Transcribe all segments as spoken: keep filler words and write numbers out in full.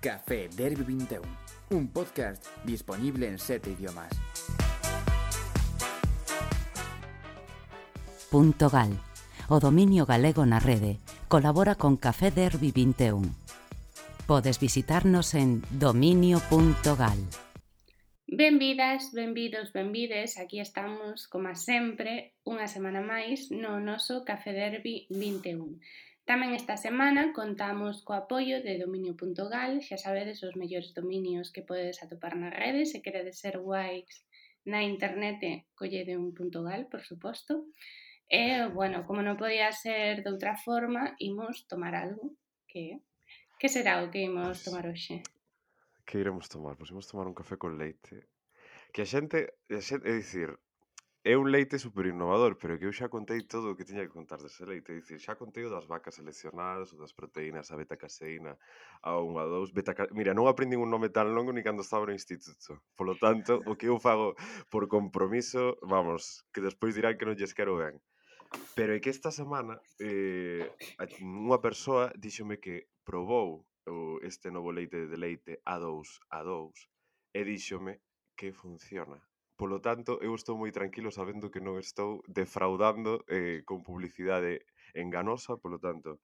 Café Derby vinte e un, un podcast disponible en sete idiomas. Punto Gal, o dominio galego na rede, colabora con Café Derby vinte e un. Podes visitarnos en dominio punto gal. Benvidas, benvidos, benvides, aquí estamos, como sempre, unha semana máis no noso Café Derby vinte e un. Tamén esta semana contamos co apoio de dominio punto gal, xa sabedes os mellores dominios que podedes atopar na rede, se queredes ser guais na internet, collede un punto gal, por suposto. E, bueno, como non podía ser de outra forma, imos tomar algo, que que será o que imos tomar hoxe? Que iremos tomar? Pois imos tomar un café con leite. Que a xente, a xente, é dicir, é un leite super innovador, pero que eu xa contei todo o que tiña que contar dese leite. É dicir, xa contei o das vacas seleccionadas, o das proteínas, a beta-caseína, a un, a dous, beta Mira, non aprendín un nome tan longo ni cando estaba no instituto. Polo tanto, o que eu fago por compromiso, vamos, que despois dirán que non lles quero ben. Pero é que esta semana eh, unha persoa díxome que probou o, este novo leite de leite A dous A dous e díxome que funciona. Polo tanto, eu estou moi tranquilo sabendo que non estou defraudando eh, con publicidade enganosa, polo tanto,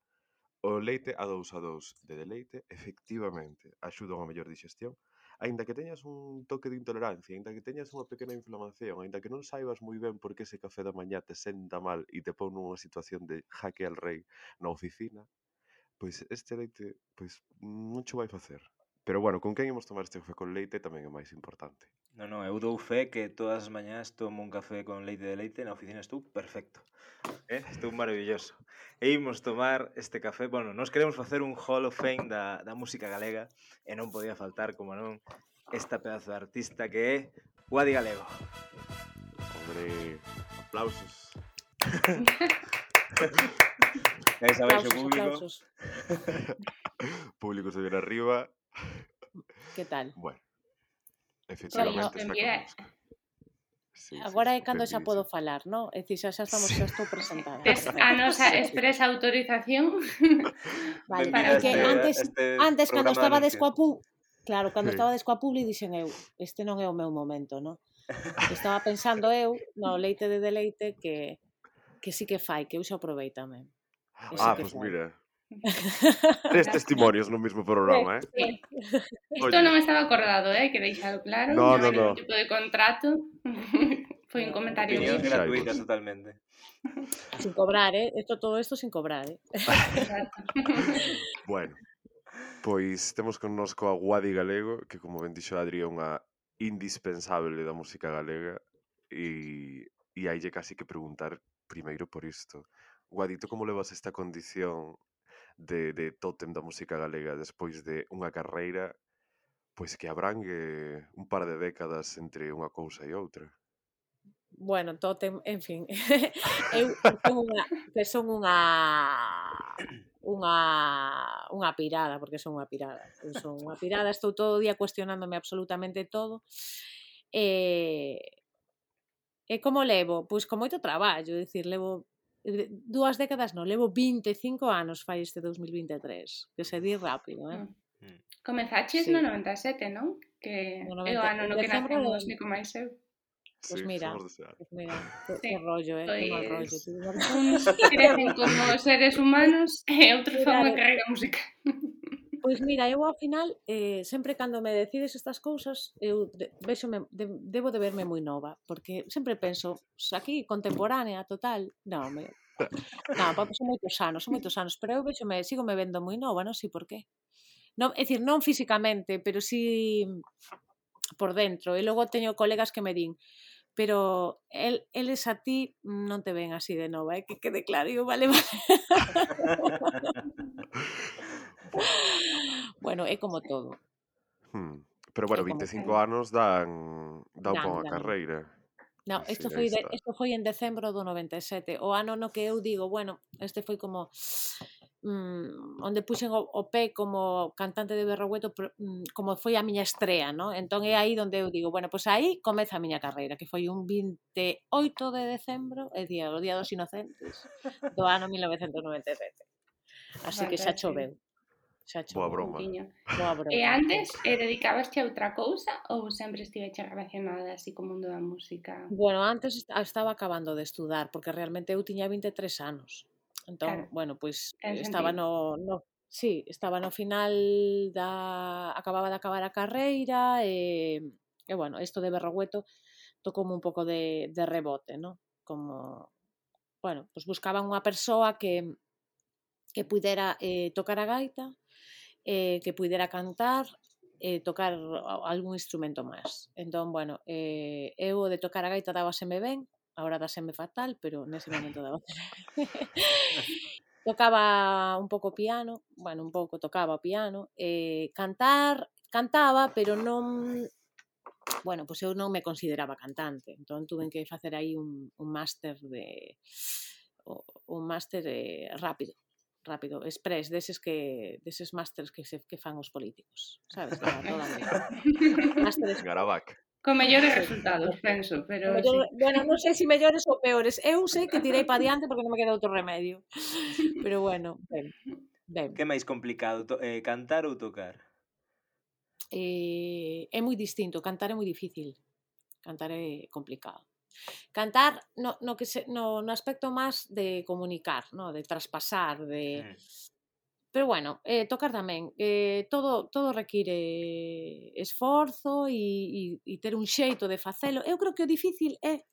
o leite A dous A dous de deleite efectivamente axuda a unha mellor digestión, aínda que teñas un toque de intolerancia, aínda que teñas unha pequena inflamación, aínda que non saibas moi ben por que ese café da mañá te senta mal e te pon nunha situación de jaque al rei na oficina, pois este leite pois non cho vai facer. Pero bueno, con quen imos tomar este café con leite tamén é máis importante. Non, non, eu dou fe que todas as mañás tomo un café con leite de leite, na oficina estou perfecto. Eh? Estou maravilloso. E imos tomar este café, bueno, nós queremos facer un Hall of Fame da, da música galega e non podía faltar, como non, esta pedazo de artista que é Guadi Galego. Hombre, aplausos. Aí sabéis o Aplausos, público. aplausos. Público se viene arriba. Que tal? Bueno, Bueno, efectivamente está mira, con música. Sí, Agora sí, é cando xa benvidísimo. podo falar, non? É dicir, xa, xa estamos, xa estou presentada. tes a nosa expresa autorización. Vale, Para é que este- antes, este antes cando programa de estaba descoa anuncios. pu... Claro, cando Sí. estaba descoa publi dixen eu, este non é o meu momento, non? Estaba pensando eu no leite de deleite que que sí que fai, que eu xa provei tamén. Que sí Ah, que pois fai. mira, tres testimonios no mismo programa, eh? Sí. Isto Oye. non estaba acordado, eh, que deixado claro, No, non hai no, no. ningún tipo de contrato. Foi un comentario Opinións libre. Xa, gratuitas pues. totalmente. Sin cobrar, eh? Esto, todo isto sin cobrar, eh? Exacto. Bueno, pois temos connosco a Guadi Galego, que como ben dixo Adri é unha indispensable da música galega e, e haille casi que preguntar primeiro por isto. Guadi, tú como levas esta condición de, de tótem da música galega despois de unha carreira pois que abrangue un par de décadas entre unha cousa e outra? Bueno, tótem, en fin. Eu son unha, que son unha unha unha pirada, porque son unha pirada. Eu son unha pirada, estou todo o día cuestionándome absolutamente todo. E e como levo? Pois con moito traballo, é dicir, levo eh, dúas décadas, non, levo vinte e cinco anos fai este dos mil vinte e tres, que se di rápido, eh? Mm. Comezaches Sí. no noventa e sete, non? Que No é o noventa ano en no que decembro nacemos de- Nico máis eu. Pois Sí, mira, somos dese ano. Pois mira, que, Sí, que rollo, eh? Que mal rollo. Pois tío. uns crecen como seres humanos e outros fan unha Claro. carreira musical. Pois mira, eu ao final, eh, sempre cando me decides estas cousas, eu de, véxome, de, debo de verme moi nova, porque sempre penso, "Pois aquí contemporánea, total, non, me, non, porque son moitos anos, son moitos anos, pero eu véxome, sigo me vendo moi nova, non sei por qué. Non, é dicir, non físicamente, pero sí por dentro. E logo teño colegas que me din, pero el, eles a ti non te ven así de nova, eh? Que quede claro, eu, vale, vale. Bueno, é como todo. Hmm. Pero bueno, É como vinte e cinco todo. anos dan, dan pa Dan, unha dan. carreira. No, Así, isto aí foi, de, está. isto foi en decembro do noventa e sete, o ano no que eu digo, bueno, este foi como mm, onde puxen o, o pé como cantante de Berrogueto, pero, mm, como foi a miña estrea, ¿no? Entón é aí onde eu digo, bueno, pois pues aí comeza a miña carreira, que foi un vinte e oito de decembro, é día, o Día dos Inocentes, do ano mil novecentos noventa e sete. Así que xa Fantástico. choveu. xa Boa choveu. broma. Boa broma. E antes, eh, dedicabasche a outra cousa ou sempre estiveche relacionada así co mundo da música? Bueno, antes estaba acabando de estudar, porque realmente eu tiña vinte e tres anos. Entón, Claro, bueno, pois ten estaba sentido. no, no sí, estaba no final da acababa de acabar a carreira e e bueno, isto de Berrogueto tocoume un pouco de de rebote, ¿no? Como, bueno, pois buscaban unha persoa que que puidera eh, tocar a gaita, eh, que puidera cantar e eh, tocar algún instrumento máis. Entón, bueno, eh, eu de tocar a gaita dábaseme ben, agora dáseme fatal, pero nese momento dábaseme tocaba un pouco piano, bueno, un pouco tocaba o piano, eh, cantar, cantaba, pero non, bueno, pois eu non me consideraba cantante, entón tuve que facer aí un, un máster de un máster eh, rápido, rápido, express, deses que deses másters que se que fan os políticos, sabes? Para toda a vida. Máster express. Garavac. Con mellores Sí. resultados, penso, pero Mellor, sí. bueno, non sei se mellores ou peores. Eu sei que tirei para diante porque non me queda outro remedio. Pero bueno, ben, ben. Que é máis complicado, to- eh, cantar ou tocar? Eh, é moi distinto, cantar é moi difícil. Cantar é complicado. Cantar no, no, que se, no, no aspecto máis de comunicar, no? De traspasar, de... Mm. Pero bueno, eh, tocar tamén. Eh, todo, todo require esforzo e, e, e ter un xeito de facelo. Eu creo que o difícil é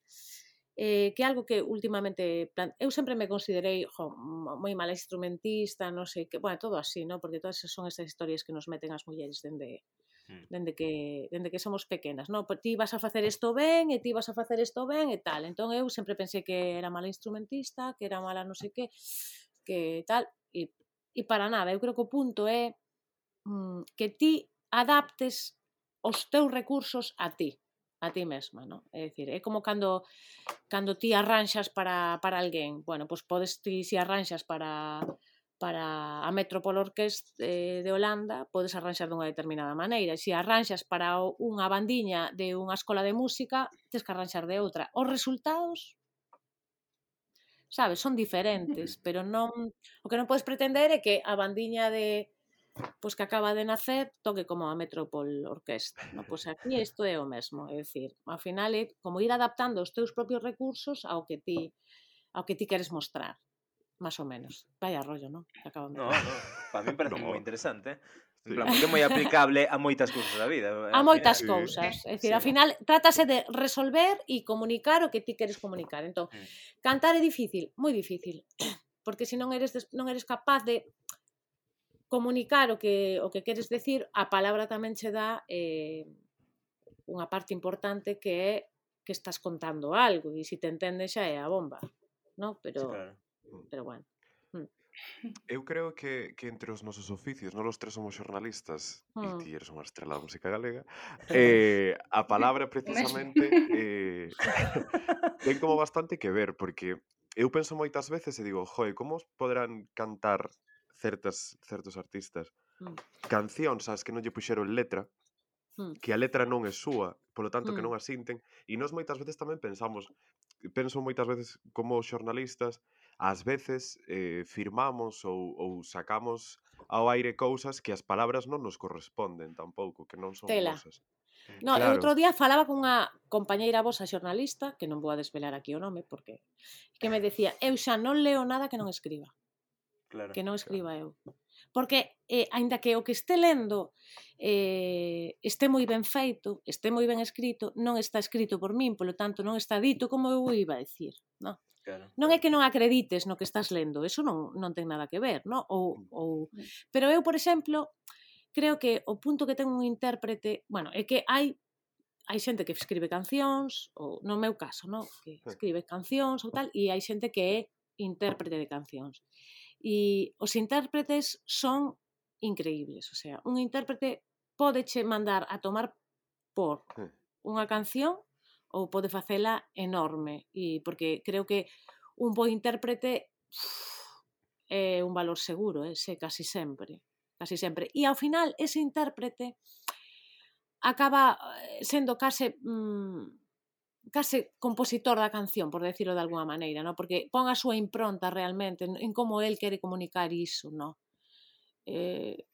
eh, que algo que últimamente... Plan... Eu sempre me considerei jo, moi mala instrumentista, non sei que... Bueno, todo así, ¿no? Porque todas son esas historias que nos meten as mulleres dende... dende que, dende que somos pequenas, non? Pois ti vas a facer isto ben e ti vas a facer isto ben e tal. Entón eu sempre pensei que era mala instrumentista, que era mala non sei que, que tal, e, e para nada. Eu creo que o punto é mm, que ti adaptes os teus recursos a ti, a ti mesma, non? É dicir, é como cando cando ti arranxas para, para alguén, bueno, pois podes ti si arranxas para para a Metropol Orquest eh, de Holanda, podes arranxar dunha determinada maneira. Se arranxas para unha bandiña de unha escola de música, tens que arranxar de outra. Os resultados, sabes, son diferentes, pero non, o que non podes pretender é que a bandiña de pois que acaba de nacer toque como a Metropol Orquest. No, pois aquí isto é o mesmo, é dicir, ao final é como ir adaptando os teus propios recursos ao que ti ao que ti queres mostrar. Más ou menos. Vaya rollo, non? Acabamos No, no, para mí parece No. moi interesante. En Sí. plan, porque é moi aplicable a moitas cousas da vida. A ao moitas final. cousas. É Sí. dicir, ao final trátase de resolver e comunicar o que ti queres comunicar. Entón, Mm. cantar é difícil, moi difícil, porque se non eres des- non eres capaz de comunicar o que o que queres decir, a palabra tamén che dá eh, unha parte importante que é que estás contando algo e se te entendes xa é a bomba, non? Pero Sí, claro. pero bueno. Eu creo que, que entre os nosos oficios, non os tres somos xornalistas, e Mm. ti eres unha estrela da música galega, eh, a palabra precisamente eh, ten como bastante que ver, porque eu penso moitas veces e digo, joe, como poderán cantar certas, certos artistas Mm. cancións ás que non lle puxeron letra, Mm. que a letra non é súa, polo tanto que Mm. non a sinten, e nós moitas veces tamén pensamos, penso moitas veces como xornalistas, ás veces eh, firmamos ou, ou sacamos ao aire cousas que as palabras non nos corresponden tampouco, que non son Tela. nosas. No, eu Claro. outro día falaba cunha compañeira vosa xornalista, que non vou a desvelar aquí o nome, porque que me decía, eu xa non leo nada que non escriba, Claro. que non escriba eu. Porque, eh, aínda que o que este lendo eh, este moi ben feito, este moi ben escrito, non está escrito por min, polo tanto non está dito como eu iba a decir, non? Claro. Non é que non acredites no que estás lendo, eso non, non ten nada que ver, non? Ou, ou... Pero eu, por exemplo, creo que o punto que ten un intérprete, bueno, é que hai hai xente que escribe cancións, ou no meu caso, no? Que escribe cancións ou tal, e hai xente que é intérprete de cancións. E os intérpretes son increíbles, o sea, un intérprete pódeche mandar a tomar por unha canción ou pode facela enorme, e porque creo que un bo intérprete é un valor seguro, eh, se casi sempre, casi sempre. E ao final ese intérprete acaba sendo case mmm, case compositor da canción, por decirlo de alguna maneira, no? Porque pon a súa impronta realmente en como el quere comunicar iso, no? Eh,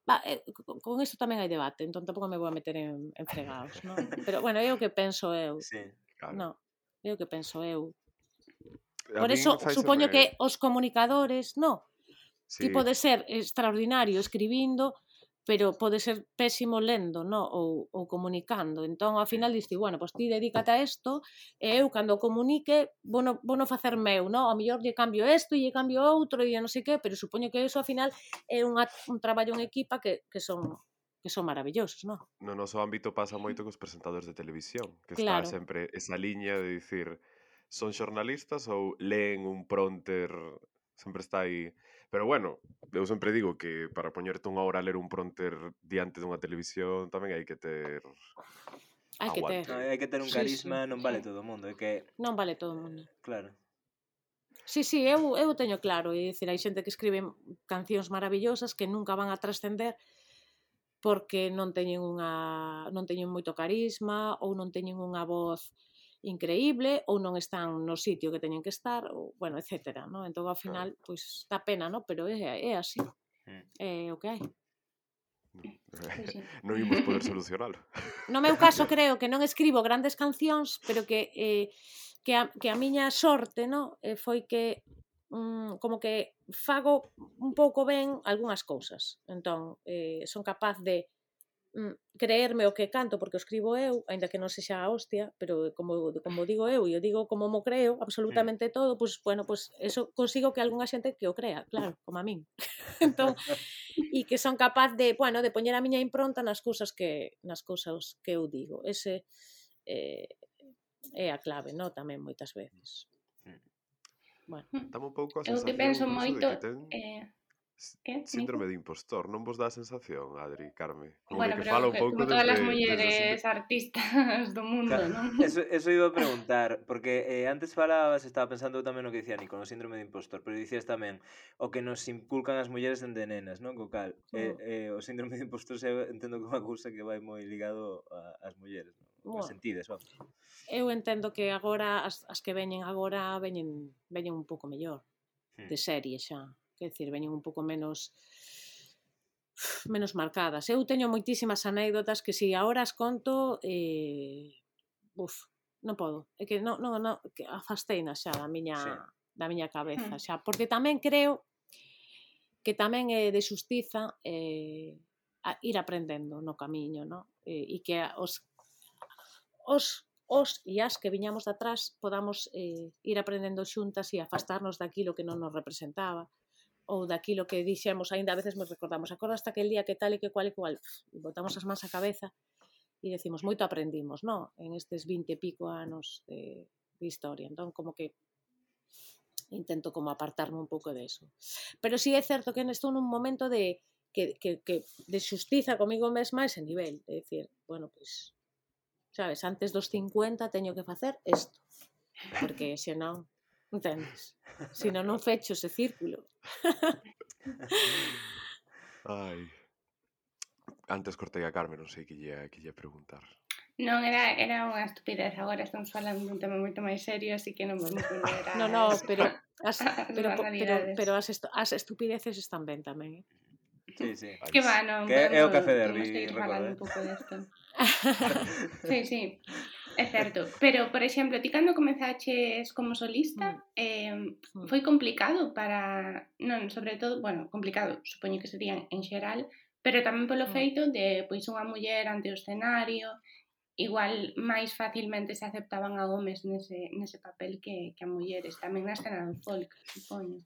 Va, eh, con, con isto tamén hai debate, entón tampouco me vou a meter en, en fregados, non? Pero, bueno, é o que penso eu. Sí. Claro. Non, é o que penso eu. A Por min eso, faiseme- supoño que os comunicadores, no, Sí, ti pode ser extraordinario escribindo, pero pode ser pésimo lendo, no? ou, ou comunicando. Entón, ao final, diste, bueno, pois ti dedícate a isto, e eu, cando comunique, vou no, vou no facer meu, no? Ao mellor lle cambio isto, e lle cambio outro, e non sei que, pero supoño que iso, ao final, é unha, un traballo en equipa que, que son que son maravillosos, non? no noso ámbito pasa moito cos presentadores de televisión, que Claro. está sempre esa liña de dicir son xornalistas ou leen un prompter, sempre está aí. Pero bueno, eu sempre digo que para poñerte unha hora a ler un prompter diante dunha televisión tamén hai que ter Hai que ter. aguante. No, hai que ter un Sí, carisma, sí. non vale todo o mundo, é que, Non vale todo o mundo. claro. Sí, sí, eu, eu teño claro, é dicir, hai xente que escribe cancións maravillosas que nunca van a trascender porque non teñen unha non teñen moito carisma ou non teñen unha voz increíble ou non están no sitio que teñen que estar, ou, bueno, etcétera, ¿no? Entón, ao final, pois, dá pena, ¿no? Pero é, é así, Mm. é o que hai. sí. Non imos poder solucionalo. No meu caso, creo que non escribo grandes cancións, pero que eh, que, a, que a miña sorte, no? eh, foi que mm, como que fago un pouco ben algunhas cousas. Entón, eh, son capaz de mm, creerme o que canto porque o escribo eu, aínda que non sexa a hostia, pero como, como digo eu, e eu digo como mo creo absolutamente todo, pois, bueno, pois eso consigo que algunha xente que o crea, claro, como a min. Entón, e que son capaz de, bueno, de poñer a miña impronta nas cousas que nas cousas que eu digo. Ese eh, é a clave, no? Tamén moitas veces. Bueno, Dame un pouco a Eu sensación que penso incluso moito... de que ten Eh, s- que, síndrome Nico? de impostor, non vos dá a sensación, Adri, Carme? Como Bueno, de que pero fala un que, pouco como todas desde, as desde o mulleres síndrome... artistas do mundo, Claro, non? eso, eso iba a preguntar, porque eh, antes falabas, estaba pensando tamén no que dicía Nico, no síndrome de impostor, pero dicías tamén o que nos inculcan as mulleres dende nenas, non? Co cal, eh, eh, o síndrome de impostor se entendo que é unha cousa que vai moi ligado a- ás mulleres, non? Bueno. As sentides, vamos. eu entendo que agora as, as que veñen agora veñen veñen un pouco mellor Hmm. de serie xa, quer decir, veñen un pouco menos menos marcadas. Eu teño moitísimas anécdotas que si agora as conto eh, uf, non podo, é que non, non, non que afasteinas xa da miña Sí. da miña cabeza Hmm. xa, porque tamén creo que tamén é de xustiza eh, a ir aprendendo no camiño, no? E, e que os os os e as que viñamos de atrás podamos eh, ir aprendendo xuntas e afastarnos daquilo que non nos representaba ou daquilo que dixemos, aínda a veces nos recordamos, acordaste aquel día que tal e que cual e cual, e botamos as mans á cabeza e decimos, moito aprendimos, no? En estes vinte e pico anos de, de historia, entón como que intento como apartarme un pouco de eso. Pero sí é certo que estou nun momento de que, que, que de xustiza comigo mesma a ese nivel, de decir, bueno, pois, sabes, antes dos cincuenta teño que facer isto, porque se non, entendes? Se non, non fecho ese círculo. Ai. Antes cortei a Carmen, non sei que lle, que lle preguntar. Non, era, era unha estupidez. Agora estamos falando dun tema moito máis serio, así que non vamos volver a... No, no, pero as, as pero, pero, banalidades. pero as, esto, as estupideces están ben tamén, eh? Sí, sí. Que va, non, Que é o podemos, Café podemos Derby, seguir falando recorda, un pouco desto. Sí, sí, é certo. Pero, por exemplo, ti cando comezaches como solista, eh, foi complicado para... Non, sobre todo, bueno, complicado, supoño que sería en xeral, pero tamén polo Mm. feito de, pois, unha muller ante o escenario, igual máis facilmente se aceptaban a homes nese, nese papel que, que a mulleres, tamén na escena do folk, supoño.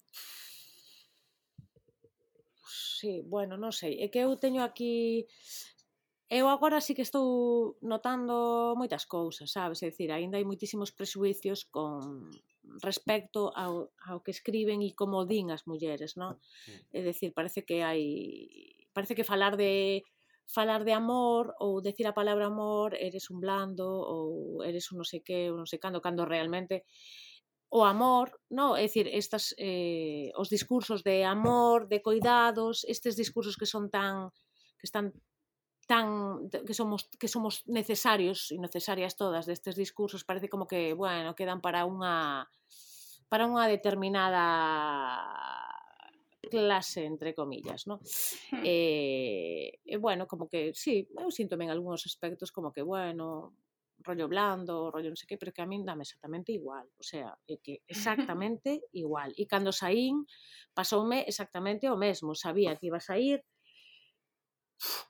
Sí, bueno, non sei, é que eu teño aquí... Eu agora sí que estou notando moitas cousas, sabes? É dicir, aínda hai moitísimos presuicios con respecto ao, ao que escriben e como din as mulleres, non? É dicir, parece que hai... Parece que falar de falar de amor ou decir a palabra amor eres un blando ou eres un non sei que, ou non sei cando, cando realmente o amor, no, é dicir, estas eh, os discursos de amor, de cuidados, estes discursos que son tan que están tan que somos que somos necesarios e necesarias todas destes discursos, parece como que, bueno, quedan para unha para unha determinada clase, entre comillas, ¿no? E, e bueno, como que, sí, eu síntome en algúns aspectos como que, bueno, rollo blando, rollo non sei que, pero que a min dame exactamente igual, o sea, é que exactamente igual. E cando saín, pasoume exactamente o mesmo, sabía que iba a sair,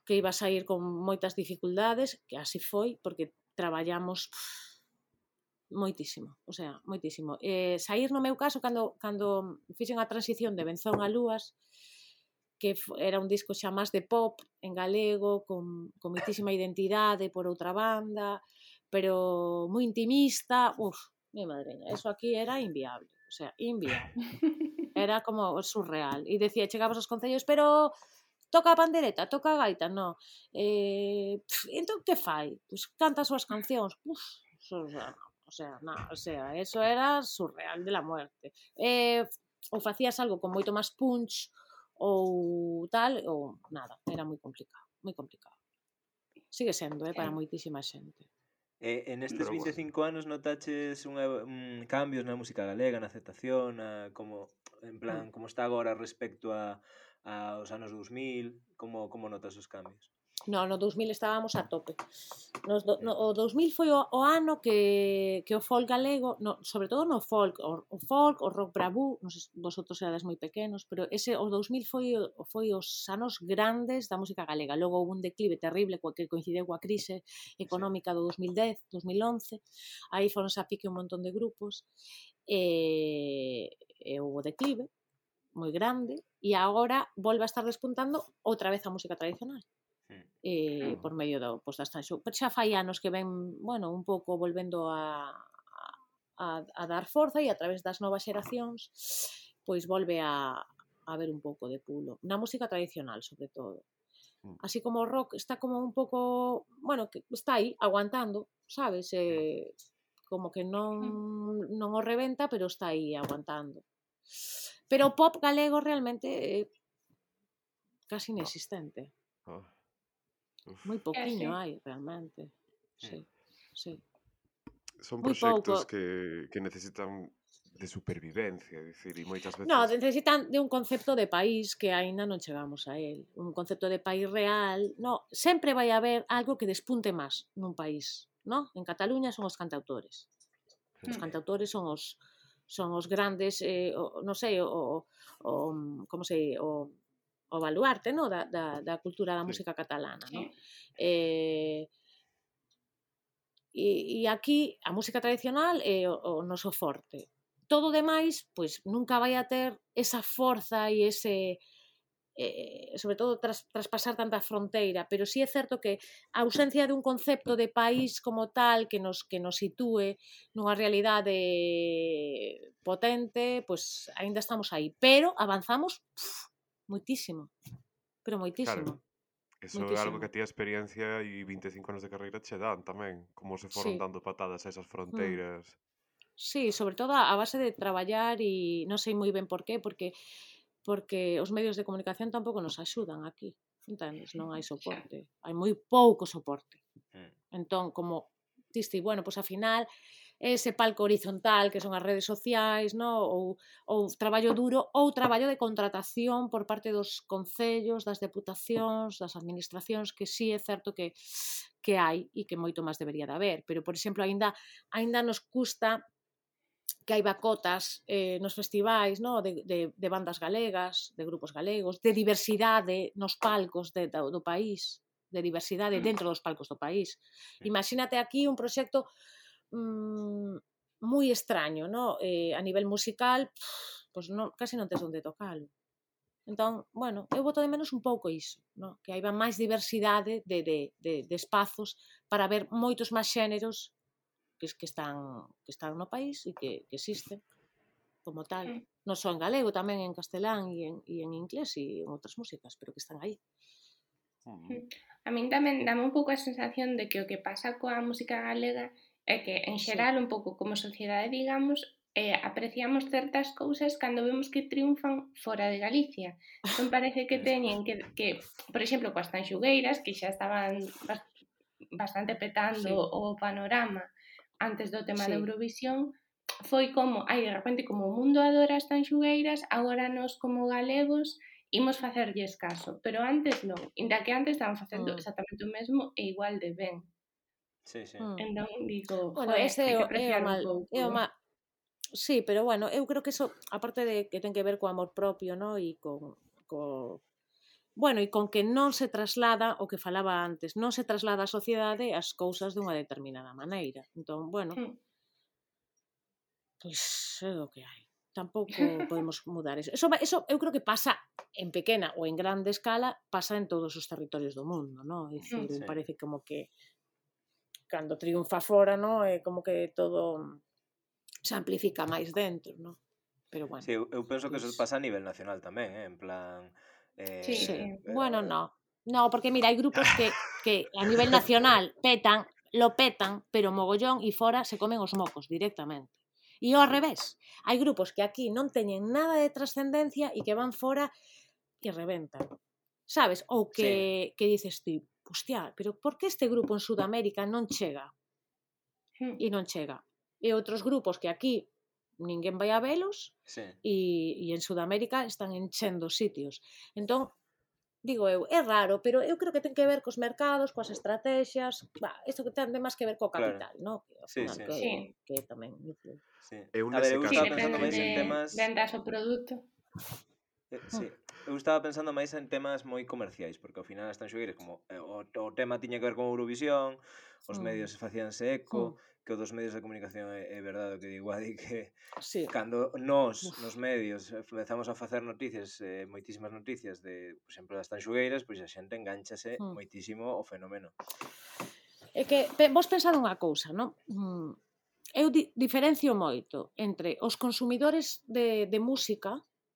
que iba a sair con moitas dificultades, que así foi, porque traballamos moitísimo, o sea, moitísimo. Eh, sair no meu caso, cando, cando fixen a transición de Benzón a Lúas, que era un disco xa máis de pop en galego, con, con moitísima identidade por outra banda, pero moi intimista, uf, mi madreña, eso aquí era inviable, o sea, inviable. Era como surreal. E decía, chegabas aos concellos, pero toca a pandereta, toca a gaita, no. Eh, pff, entón, que fai? Pues canta as súas cancións. Uf, eso, o sea, o sea, na, o sea, eso era surreal de la muerte. Eh, ou facías algo con moito máis punch, ou tal, ou nada, era moi complicado, moi complicado. Sigue sendo, eh, para moitísima xente. E, en estes Pero vinte e cinco anos notaches unha, un, cambios na música galega, na aceptación, a, como, en plan, como está agora respecto a, a os anos dous mil, como, como notas os cambios? No, no dous mil estábamos a tope. Nos do, no, o dous mil foi o, o ano que, que o folk galego, no, sobre todo no folk, o, o folk, o rock bravú, non sei se vosotros erades moi pequenos, pero ese o dous mil foi, foi os anos grandes da música galega. Logo houve un declive terrible que coincideu coa crise económica do dous mil dez, dous mil once, aí foronse a pique un montón de grupos, e, e houve declive moi grande, e agora volve a estar despuntando outra vez a música tradicional. Eh, por medio do, pois, das transxo. Xa fai anos que ven, bueno, un pouco volvendo a, a, a dar forza, e a través das novas xeracións pois volve a, a haber un pouco de pulo. Na música tradicional, sobre todo. Así como o rock está como un pouco, bueno, que está aí, aguantando, sabes? Eh, como que non, non o reventa, pero está aí, aguantando. Pero o pop galego realmente é casi inexistente. Oh. Moi pouquiño sí. hai, realmente. Sí, sí. Son Moi proxectos pouco. que, que necesitan de supervivencia, é dicir, e moitas veces... No, necesitan de un concepto de país que aínda non chegamos a él. Un concepto de país real. No, sempre vai haber algo que despunte máis nun país, no? En Cataluña son os cantautores. Os cantautores son os son os grandes, eh, o, non sei, o, o como se o o baluarte, no, da, da, da cultura da música catalana, no? Eh, e, e aquí a música tradicional é o, o noso forte. Todo o demais, pois, nunca vai a ter esa forza e ese, eh, sobre todo, tras, traspasar tanta fronteira, pero sí é certo que a ausencia de un concepto de país como tal que nos, que nos sitúe nunha realidade potente, pois, aínda estamos aí, pero avanzamos pff, moitísimo, pero moitísimo. Claro, eso moitísimo. é algo que a ti a experiencia e vinte e cinco anos de carreira che dan tamén, como se foron Sí. dando patadas a esas fronteiras. Mm. Sí, sobre todo a base de traballar e non sei moi ben por qué, porque porque os medios de comunicación tampouco nos axudan aquí, entendes? Non hai soporte, hai moi pouco soporte. Entón, como diste, bueno, pois pues, a final ese palco horizontal que son as redes sociais, no? ou, ou traballo duro ou traballo de contratación por parte dos concellos, das deputacións, das administracións, que sí é certo que, que hai e que moito máis debería de haber, pero, por exemplo, aínda, aínda nos custa que hai bacotas eh, nos festivais, no? de, de, de bandas galegas, de grupos galegos, de diversidade nos palcos de, do, do país, de diversidade dentro dos palcos do país. Imagínate aquí un proxecto mmm, moi extraño, no? Eh, a nivel musical, pff, pues non, casi non tes onde tocalo. Entón, bueno, eu boto de menos un pouco iso, no? Que haiba máis diversidade de, de, de, de espazos para ver moitos máis xéneros que, que, están, que están no país e que, que existen como tal. Non só en galego, tamén en castelán e en, e en inglés e en outras músicas, pero que están aí. A min tamén dame un pouco a sensación de que o que pasa coa música galega é que, en xeral, sí. un pouco como sociedade, digamos, eh, apreciamos certas cousas cando vemos que triunfan fora de Galicia. Entón parece que teñen que, que por exemplo, coas tanxugueiras, que xa estaban bastante petando sí. o panorama antes do tema sí. da Eurovisión, foi como, ai, de repente, como o mundo adora as tanxugueiras, agora nós como galegos imos facerlles caso, pero antes non, inda que antes estaban facendo Mm. exactamente o mesmo e igual de ben. Sí, sí. Mm. Entón digo, Bueno, joe, ese hai é que o, é o apreciar un mal, pouco. é o mal. Sí, pero bueno, eu creo que eso, aparte de que ten que ver co amor propio, no? E con, co, bueno, e con que non se traslada o que falaba antes, non se traslada á sociedade as cousas dunha determinada maneira. Entón, bueno, Hmm. pois é o que hai. Tampouco podemos mudar eso. Eso, va- eso eu creo que pasa en pequena ou en grande escala, pasa en todos os territorios do mundo, no? É dicir, Sí. parece como que cando triunfa fora, no? É como que todo se amplifica máis dentro, no? Pero bueno. Sí, eu, eu penso que eso pois- pasa a nivel nacional tamén, eh? En plan... Eh, Sí, Sí, sí. bueno, no. No, porque mira, hai grupos que, que a nivel nacional petan, lo petan, pero mogollón e fora se comen os mocos directamente. E ao revés, hai grupos que aquí non teñen nada de trascendencia e que van fora e reventan. Sabes? Ou que, que dices ti, hostia, pero por que este grupo en Sudamérica non chega? Hmm. E non chega. E outros grupos que aquí ninguén vai a velos sí. e, e en Sudamérica están enchendo sitios. Entón, digo eu, é raro, pero eu creo que ten que ver cos mercados, coas estrategias, bah, isto que ten máis que ver co Claro. capital, no? Que ao Sí, final sí. que, Sí. que tamén influye. Sí. Eu A ver, nese eu Sí, caso- estaba pensando depende máis en de temas... vendas o produto. Eh, sí, eu estaba pensando máis en temas moi comerciais, porque ao final as tanxugueiras, como eh, o, o tema tiña que ver con Eurovisión, os Mm. medios facíanse eco, Mm. que o dos medios de comunicación é, é verdade o que digo, Adi, que Sí. cando nós, Uf. nos medios, eh, comezamos a facer noticias, eh, moitísimas noticias de, por exemplo, das tanxugueiras, pois a xente enganchase Mm. moitísimo o fenómeno. É que pe- vos pensade unha cousa, non? Mm, eu di, diferencio moito entre os consumidores de, de música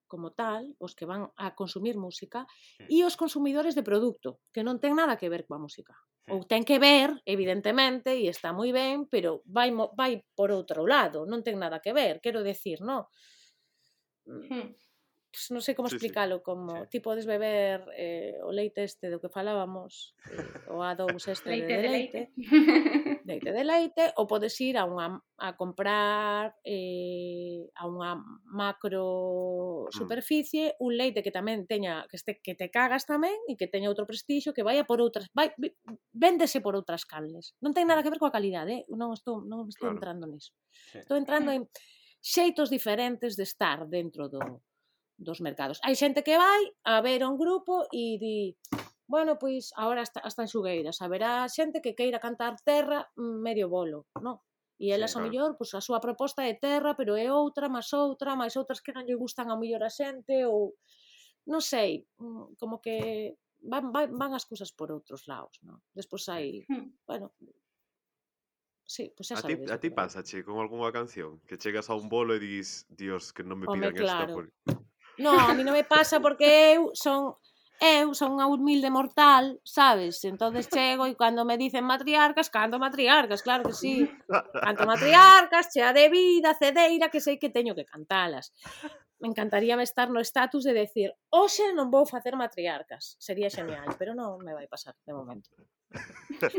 como tal, os que van a consumir música, Mm. e os consumidores de produto, que non ten nada que ver coa música. Mm. Ou ten que ver, evidentemente, e está moi ben, pero vai, mo- vai por outro lado, non ten nada que ver, quero decir, non? Mm, Hmm. pues non sei como Sí, sí. explicalo, como Sí. ti podes beber eh, o leite este do que falábamos, eh, o A dous este Leite de, de leite, leite. leite de leite, ou podes ir a unha a comprar eh, a unha macro superficie un leite que tamén teña que este que te cagas tamén e que teña outro prestixio, que vaya por outras, vai vi- véndese por outras canles. Non ten nada que ver coa calidade, eh? Non estou non estou Claro. entrando niso. Sí. Estou entrando en xeitos diferentes de estar dentro do dos mercados. Hai xente que vai a ver un grupo e di, bueno, pois agora as, as tanxugueiras, haberá xente que queira cantar terra mm, medio bolo, non? E elas Sí, ao claro. mellor, pois a súa proposta é terra, pero é outra, máis outra, máis outras que non lle gustan ao mellor a xente ou non sei, mm, como que van, van, van as cousas por outros lados, non? Despois hai, Hmm. bueno, sí, pois A xa ti, sabedes a do ti que vai. pásache con algunha canción que chegas a un bolo e dis, Dios, que non me Home, pidan esta claro. por... No, a mí non me pasa porque eu son eu son unha humilde mortal, sabes? Entonces chego e cando me dicen matriarcas, canto matriarcas, claro que sí. Canto matriarcas, chea de vida, cedeira, que sei que teño que cantalas. Me encantaríame estar no estatus de decir, hoxe non vou facer matriarcas. Sería genial, pero non me vai pasar de momento.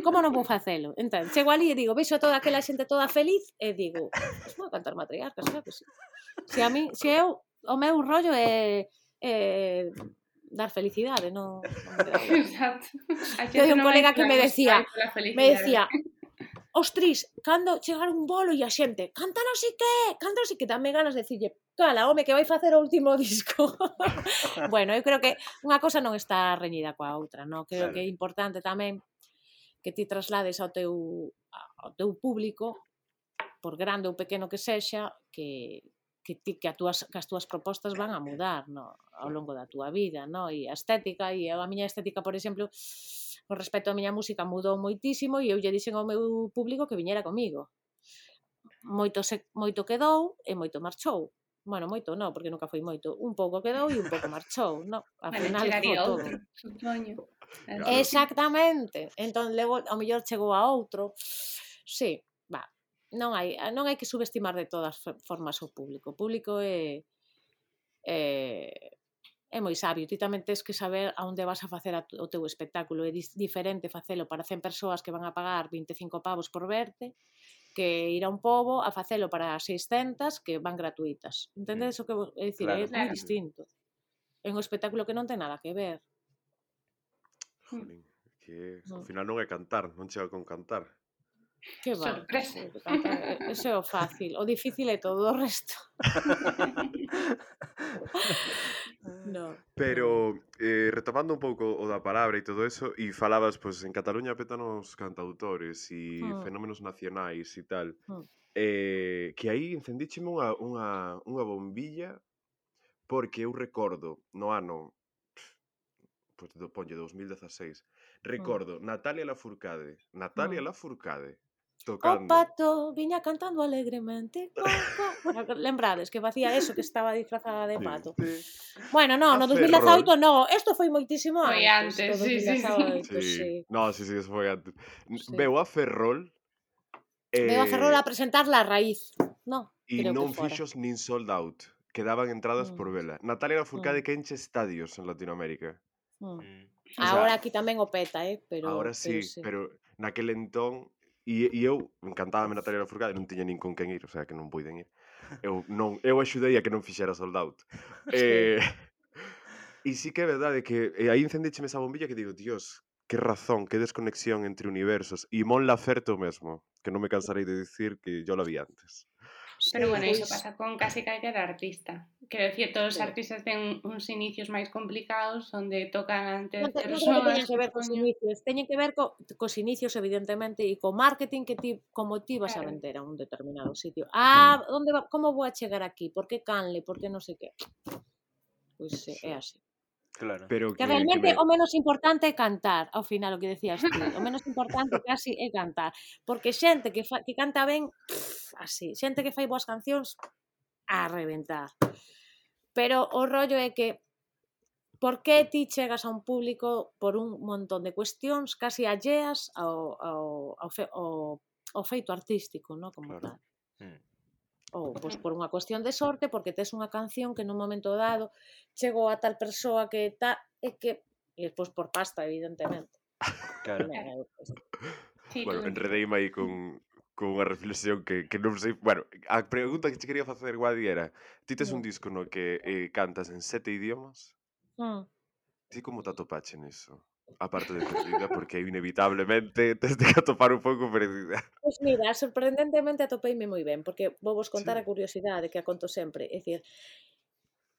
Como non vou facelo? Entón, chego ali e digo, vexo a toda aquela xente toda feliz e digo, pues vou cantar matriarcas, claro que sí. Se a mí, se eu, o meu rollo é, é dar felicidade, non, non me dá igual. Exacto. A Eu xente un non vai colega que pola me música, decía, vai pola me felicidade. decía, ostris, cando chegar un bolo e a xente, canta non sei que, canta non sei que, dame ganas de decirlle, cala, home, que vai facer o último disco. Bueno, eu creo que unha cosa non está reñida coa outra, non? Creo Claro. que é importante tamén que ti traslades ao teu, ao teu público, por grande ou pequeno que sexa, que, que ti que, a túas, que as túas propostas van a mudar, no, ao longo da túa vida, no? E a estética, e a miña estética, por exemplo, con respecto á miña música mudou moitísimo e eu lle dixen ao meu público que viñera comigo. Moito, se, moito quedou e moito marchou. Bueno, moito non, porque nunca foi moito. Un pouco quedou e un pouco marchou, no? Ao Bueno, final chegaría quedou todo. outro, supoño. Claro. Exactamente. Entón, logo, ao mellor chegou a outro. Sí, va. Non hai, non hai que subestimar de todas formas o público. O público é, é, é moi sabio. Ti tamén tens que saber a onde vas a facer a, o teu espectáculo. É diferente facelo para cen persoas que van a pagar vinte e cinco pavos por verte que ir a un pobo a facelo para seiscentas que van gratuitas. Entendedes o que vou dicir? Claro. É moi Claro. distinto. É un espectáculo que non ten nada que ver. Jolín, que ao Mm. final non é cantar, non chega con cantar. Que va? Sorpresa. Eso, cantar, eso é o fácil. O difícil é todo o resto. No. Pero, eh, retomando un pouco o da palabra e todo eso, e falabas, pois, en Cataluña petan os cantautores e Mm. fenómenos nacionais e tal, Mm. eh, que aí encendícheme unha, unha, unha bombilla porque eu recordo no ano, pois, do, ponlle, dos mil dezaseis, recordo Natalia Lafourcade, Natalia Mm. Lafourcade, O tocando... pato viña cantando alegremente. Cuá, cuá. Lembrades que facía eso, que estaba disfrazada de Sí, pato. sí. Bueno, no, A no dos mil dezaoito Ferrol. no, isto foi moitísimo Foi antes antes, do sí, sí, sí. dos mil dezaoito, Sí. sí. No, sí, sí, eso foi antes. N- Sí. Veu a Ferrol Veo a Ferrol eh, a presentar La Raíz. No, e creo que non fora. fixos nin sold out. Quedaban entradas por Mm. vela. Natalia Lafourcade Mm. que enche estadios en Latinoamérica. Mm. Mm. O sea, Ahora aquí tamén o peta, eh, pero ahora pero sí, sí. pero naquel entón e, e eu encantábame Natalia Lafourcade, non tiña nin con quen ir, o sea, que non puiden ir. Eu non, eu axudei a que non fixera sold out. Sí. Eh, e sí que é verdade que e aí encendícheme esa bombilla que digo, Dios, que razón, que desconexión entre universos. E Mon Laferte o mesmo, que non me cansarei de dicir que yo la vi antes. Pero Sí, bueno, iso pois, pasa con casi calquera artista. Quero dicir, todos os sí. artistas ten uns inicios máis complicados onde tocan ante Non, te, non creo que persoas, teñan que ver cos supoño. inicios, teñen que ver co, cos inicios evidentemente e co marketing que ti, como ti vas a Claro. vender a un determinado sitio. Ah, onde va, como vou a chegar aquí? Por que canle? Por que non sei que? Pois eh, é así. Claro. Pero Que que, que realmente me... o menos importante é cantar, ao final o que decías ti, o menos importante casi é cantar, porque xente que fa, que canta ben, pff, así, xente que fai boas cancións a reventar. Pero o rollo é que por que ti chegas a un público por un montón de cuestións casi alleas ao, ao, ao, fe, ao, ao feito artístico, no? Como Claro. tal. Mm. Ou pois, por unha cuestión de sorte, porque tes unha canción que nun momento dado chegou a tal persoa que ta, e que e despois por pasta, evidentemente. Claro. Tamén é, pois, Sí, Bueno, todo enredeime aí con, con unha reflexión que, que non sei... Bueno, a pregunta que te quería facer, Guadi, era ti tes un no. disco no que eh, cantas en sete idiomas? Mm. Ti como te atopache niso? Aparte de perdida, porque inevitablemente tes de que atopar un pouco perdida. Pois mira, sorprendentemente atopeime moi ben, porque vou vos contar Sí. a curiosidade que a conto sempre, é dicir,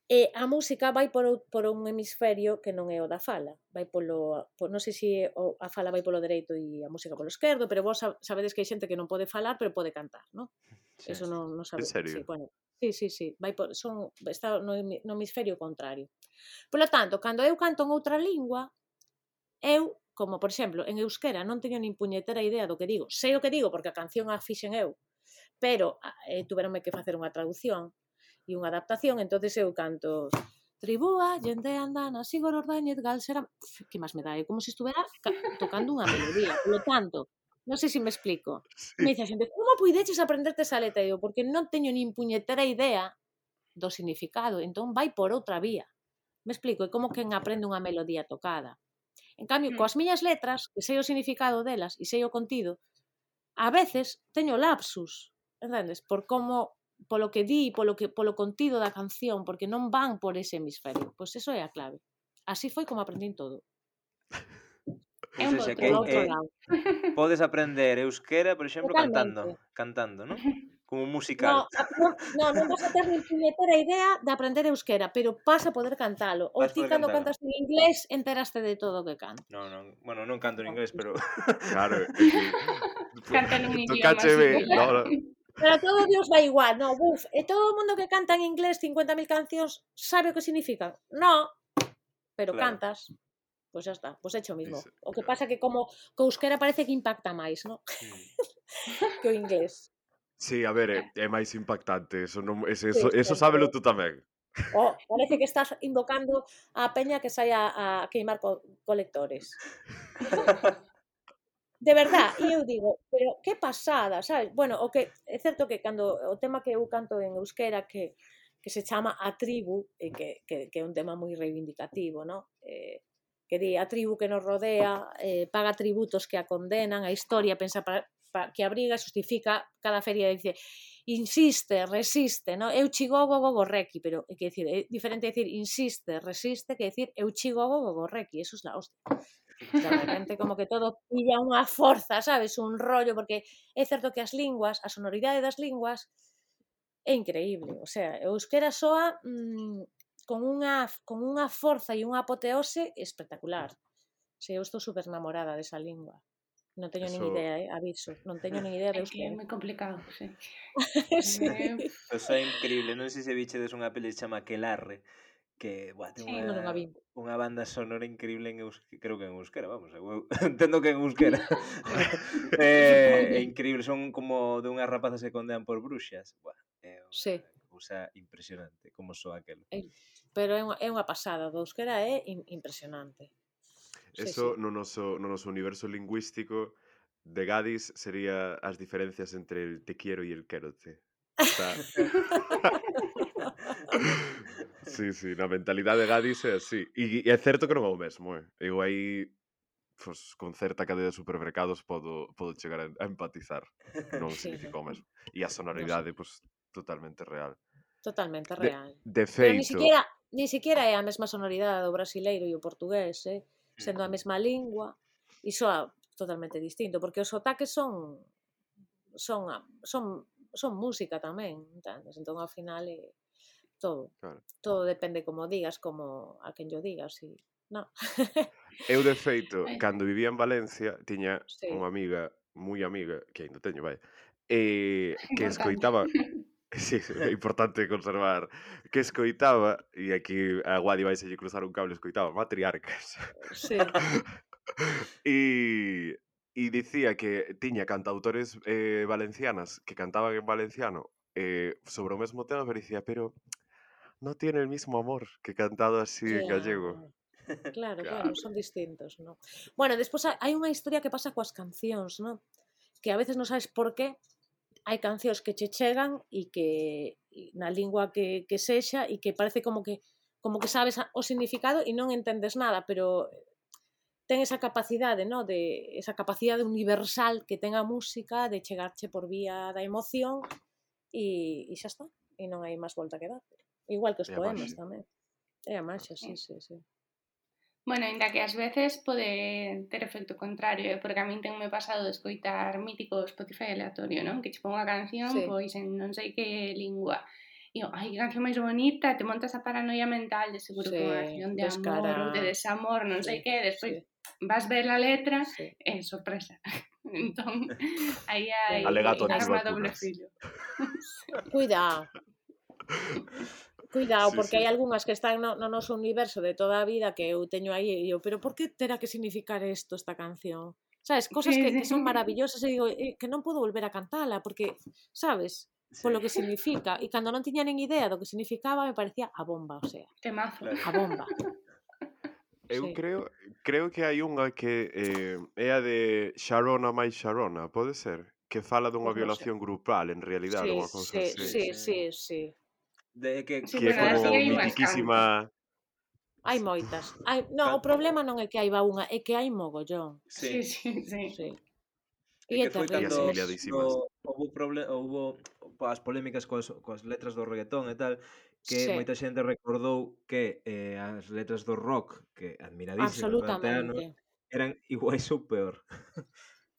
e a música vai por, ou- por un hemisferio que non é o da fala, vai polo, por, non sei se o, a fala vai polo dereito e a música polo esquerdo, pero vos sa- sabedes que hai xente que non pode falar, pero pode cantar, non? Sí. Eso non, non En sabe. serio? Sí, bueno, sí, sí, sí, vai por, son, está no, hemi- no hemisferio contrario. Polo tanto, cando eu canto en outra lingua, eu, como por exemplo, en euskera non teño nin puñetera idea do que digo. Sei o que digo porque a canción a fixen eu, pero eh, tuveronme que facer unha traducción e unha adaptación, entonces eu canto Tribúa, xente andana, Sigor Ordóñez, Galsera... Que máis me dá? É como se estuvera tocando unha melodía. Polo tanto, non sei se me explico. Sí. Me dice a xente, como puideches aprenderte esa letra? Eu, porque non teño nin puñetera idea do significado, entón vai por outra vía. Me explico, é como quen aprende unha melodía tocada. En cambio, Mm. coas miñas letras, que sei o significado delas e sei o contido, a veces teño lapsus, entendes? Por como, polo que di, polo, que, polo contido da canción, porque non van por ese hemisferio. Pois eso é a clave. Así foi como aprendín todo. É Ou un seja, bo que Polo truco. outro eh, lado. podes aprender euskera, por exemplo, Totalmente. cantando, cantando, ¿no? Como un No, musical. a, non, no, non vas a ter nin puñetera idea de aprender euskera, pero vas a poder cantalo. Ou Vas ti poder cando cantalo. cantas en inglés enteraste de todo o que cantas. No, non, bueno, non canto en No, inglés, pero Claro, é que... Canta nun idioma Tocácheme, similar. no, no. Pero a todo Dios vai igual, no, buf, e todo o mundo que canta en inglés cincuenta mil cancións sabe o que significan? No, pero Claro. cantas. Pois xa está, pois é o mismo. Iso, O que claro. pasa que como co euskera parece que impacta máis, no? Mm. Que o inglés. Sí, a ver, é, é máis impactante, eso, non, ese, Sí, eso, eso sempre. sábelo tú tamén. Oh, parece que estás invocando a peña que saia a queimar co colectores. De verdad, e eu digo, pero que pasada, sabes? Bueno, o que é certo que cando o tema que eu canto en euskera que que se chama A Tribu, e que, que, que é un tema moi reivindicativo, no? Eh, que di a tribu que nos rodea, eh, paga tributos que a condenan, a historia pensa para, pa, que abriga, justifica cada feria, dice, insiste, resiste, no? Eu chigogo gogorreki, pero é que decir, é diferente decir insiste, resiste, que decir eu chigogo gogorreki, eso es la hostia. De repente como que todo pilla unha forza, sabes, un rollo, porque é certo que as linguas, a sonoridade das linguas é increíble, o sea, o euskera soa mmm, con unha, con unha forza e unha apoteose espectacular. Se eu estou super enamorada desa lingua. Non teño nin Eso, idea, eh, aviso, non teño nin idea de É que é euskera. moi complicado, sí. Sí. Eh, Eso é increíble, non sei se vichedes unha peli que se chama Aquelarre, que, buah, ten sí. Non, non a unha vi. unha banda sonora increíble en euskera, creo que en euskera, vamos, eu entendo que en euskera. eh, é Supoño. increíble, son como de unhas rapazas que condean por bruxas. Buah, é Sí. unha cousa impresionante como soa aquelo. É- Pero é unha, é unha pasada, do euskera é in- impresionante. Sí, sí. eso no noso, no noso universo lingüístico de Gadis sería as diferencias entre el te quiero e el quérote. Está... sí, sí, na mentalidade de Gadis é así. E, e é certo que non é o mesmo, eh? Eu aí, pues, con certa cadea de supermercados podo, podo chegar a, a empatizar. Non Sí, significa o no, mesmo. E a no sé. sonoridade, pues, totalmente real. Totalmente De, real. de Pero ni feito, siquiera, ni siquiera é a mesma sonoridade do brasileiro e o portugués, eh? Sendo a Mm. mesma lingua, e soa totalmente distinto, porque os sotaques son son a- son son música tamén, entendes? Entón ao final é todo, claro. todo depende como digas, como a quen yo digas, e no. Eu, de feito, Ai, cando vivía en Valencia, tiña Sí, unha amiga, moi amiga, que aínda teño, vai, eh, que importante. escoitaba... Sí, sí, é importante conservar. Que escoitaba, e aquí a Guadi vai se lle cruzar un cable, escoitaba Matriarcas. sí. E, e dicía que tiña cantautores eh, valencianas que cantaban en valenciano eh, sobre o mesmo tema, pero dicía, pero no tiene el mismo amor que cantado así en gallego. Claro. Claro, claro, Claro. son distintos, ¿no? Bueno, despois ha- hai unha historia que pasa coas cancións, ¿no? Que a veces non sabes por qué hai cancións que che chegan e que e na lingua que, que sexa e que parece como que como que sabes a- o significado e non entendes nada, pero ten esa capacidade, ¿no? De esa capacidade universal que ten a música de chegarche por vía da emoción e, e xa está, e non hai máis volta que dar. Igual que os E a poemas maxia. tamén. É a maxia, sí, sí, sí. Bueno, ainda que ás veces pode ter efecto contrario, eh? Porque a min tenme pasado de escoitar mítico Spotify aleatorio, non? Que che pon unha canción, Sí. pois en non sei que lingua. E eu, ai, que canción máis bonita, te montas a paranoia mental de seguro que é unha Sí, canción de descara. amor ou de desamor, non sei Sí, que, despois sí, vas ver a letra, sí. e sorpresa. Entón, aí hai Alegato arma doble antivacunas. filo. Cuidado, cuidado, Sí, porque sí. hai algunhas que están no, no noso universo de toda a vida que eu teño aí e eu, pero por que terá que significar isto esta canción? Sabes, cosas Sí, que, sí. que son maravillosas e digo, eh, que non podo volver a cantala porque, sabes, polo que significa e cando non tiña nin idea do que significaba me parecía a bomba, o sea, Temazo. Claro. a bomba. Eu Sí. creo, creo que hai unha que eh, é a de Sharona máis Sharona, pode ser? Que fala dunha Pois non sei. violación grupal, en realidade, Sí, unha cousa sí, así. sí, Sí. sí, sí. De que Sí, Que é bueno, fora así como hai do- unhas mitiquísima... Hai moitas. Hai, no, o Can- problema non é que hai unha, é que hai mogollón. Sí, Sí. sí, sí. Sí. É E é que foi terrible. E cando asimiliadísimas. do, houve proble- houve as polémicas coas, coas letras do reggaetón e tal, que Sí. moita xente recordou que eh, as letras do rock, que admiradísimas durante anos, Absolutamente. eran iguais ou peor.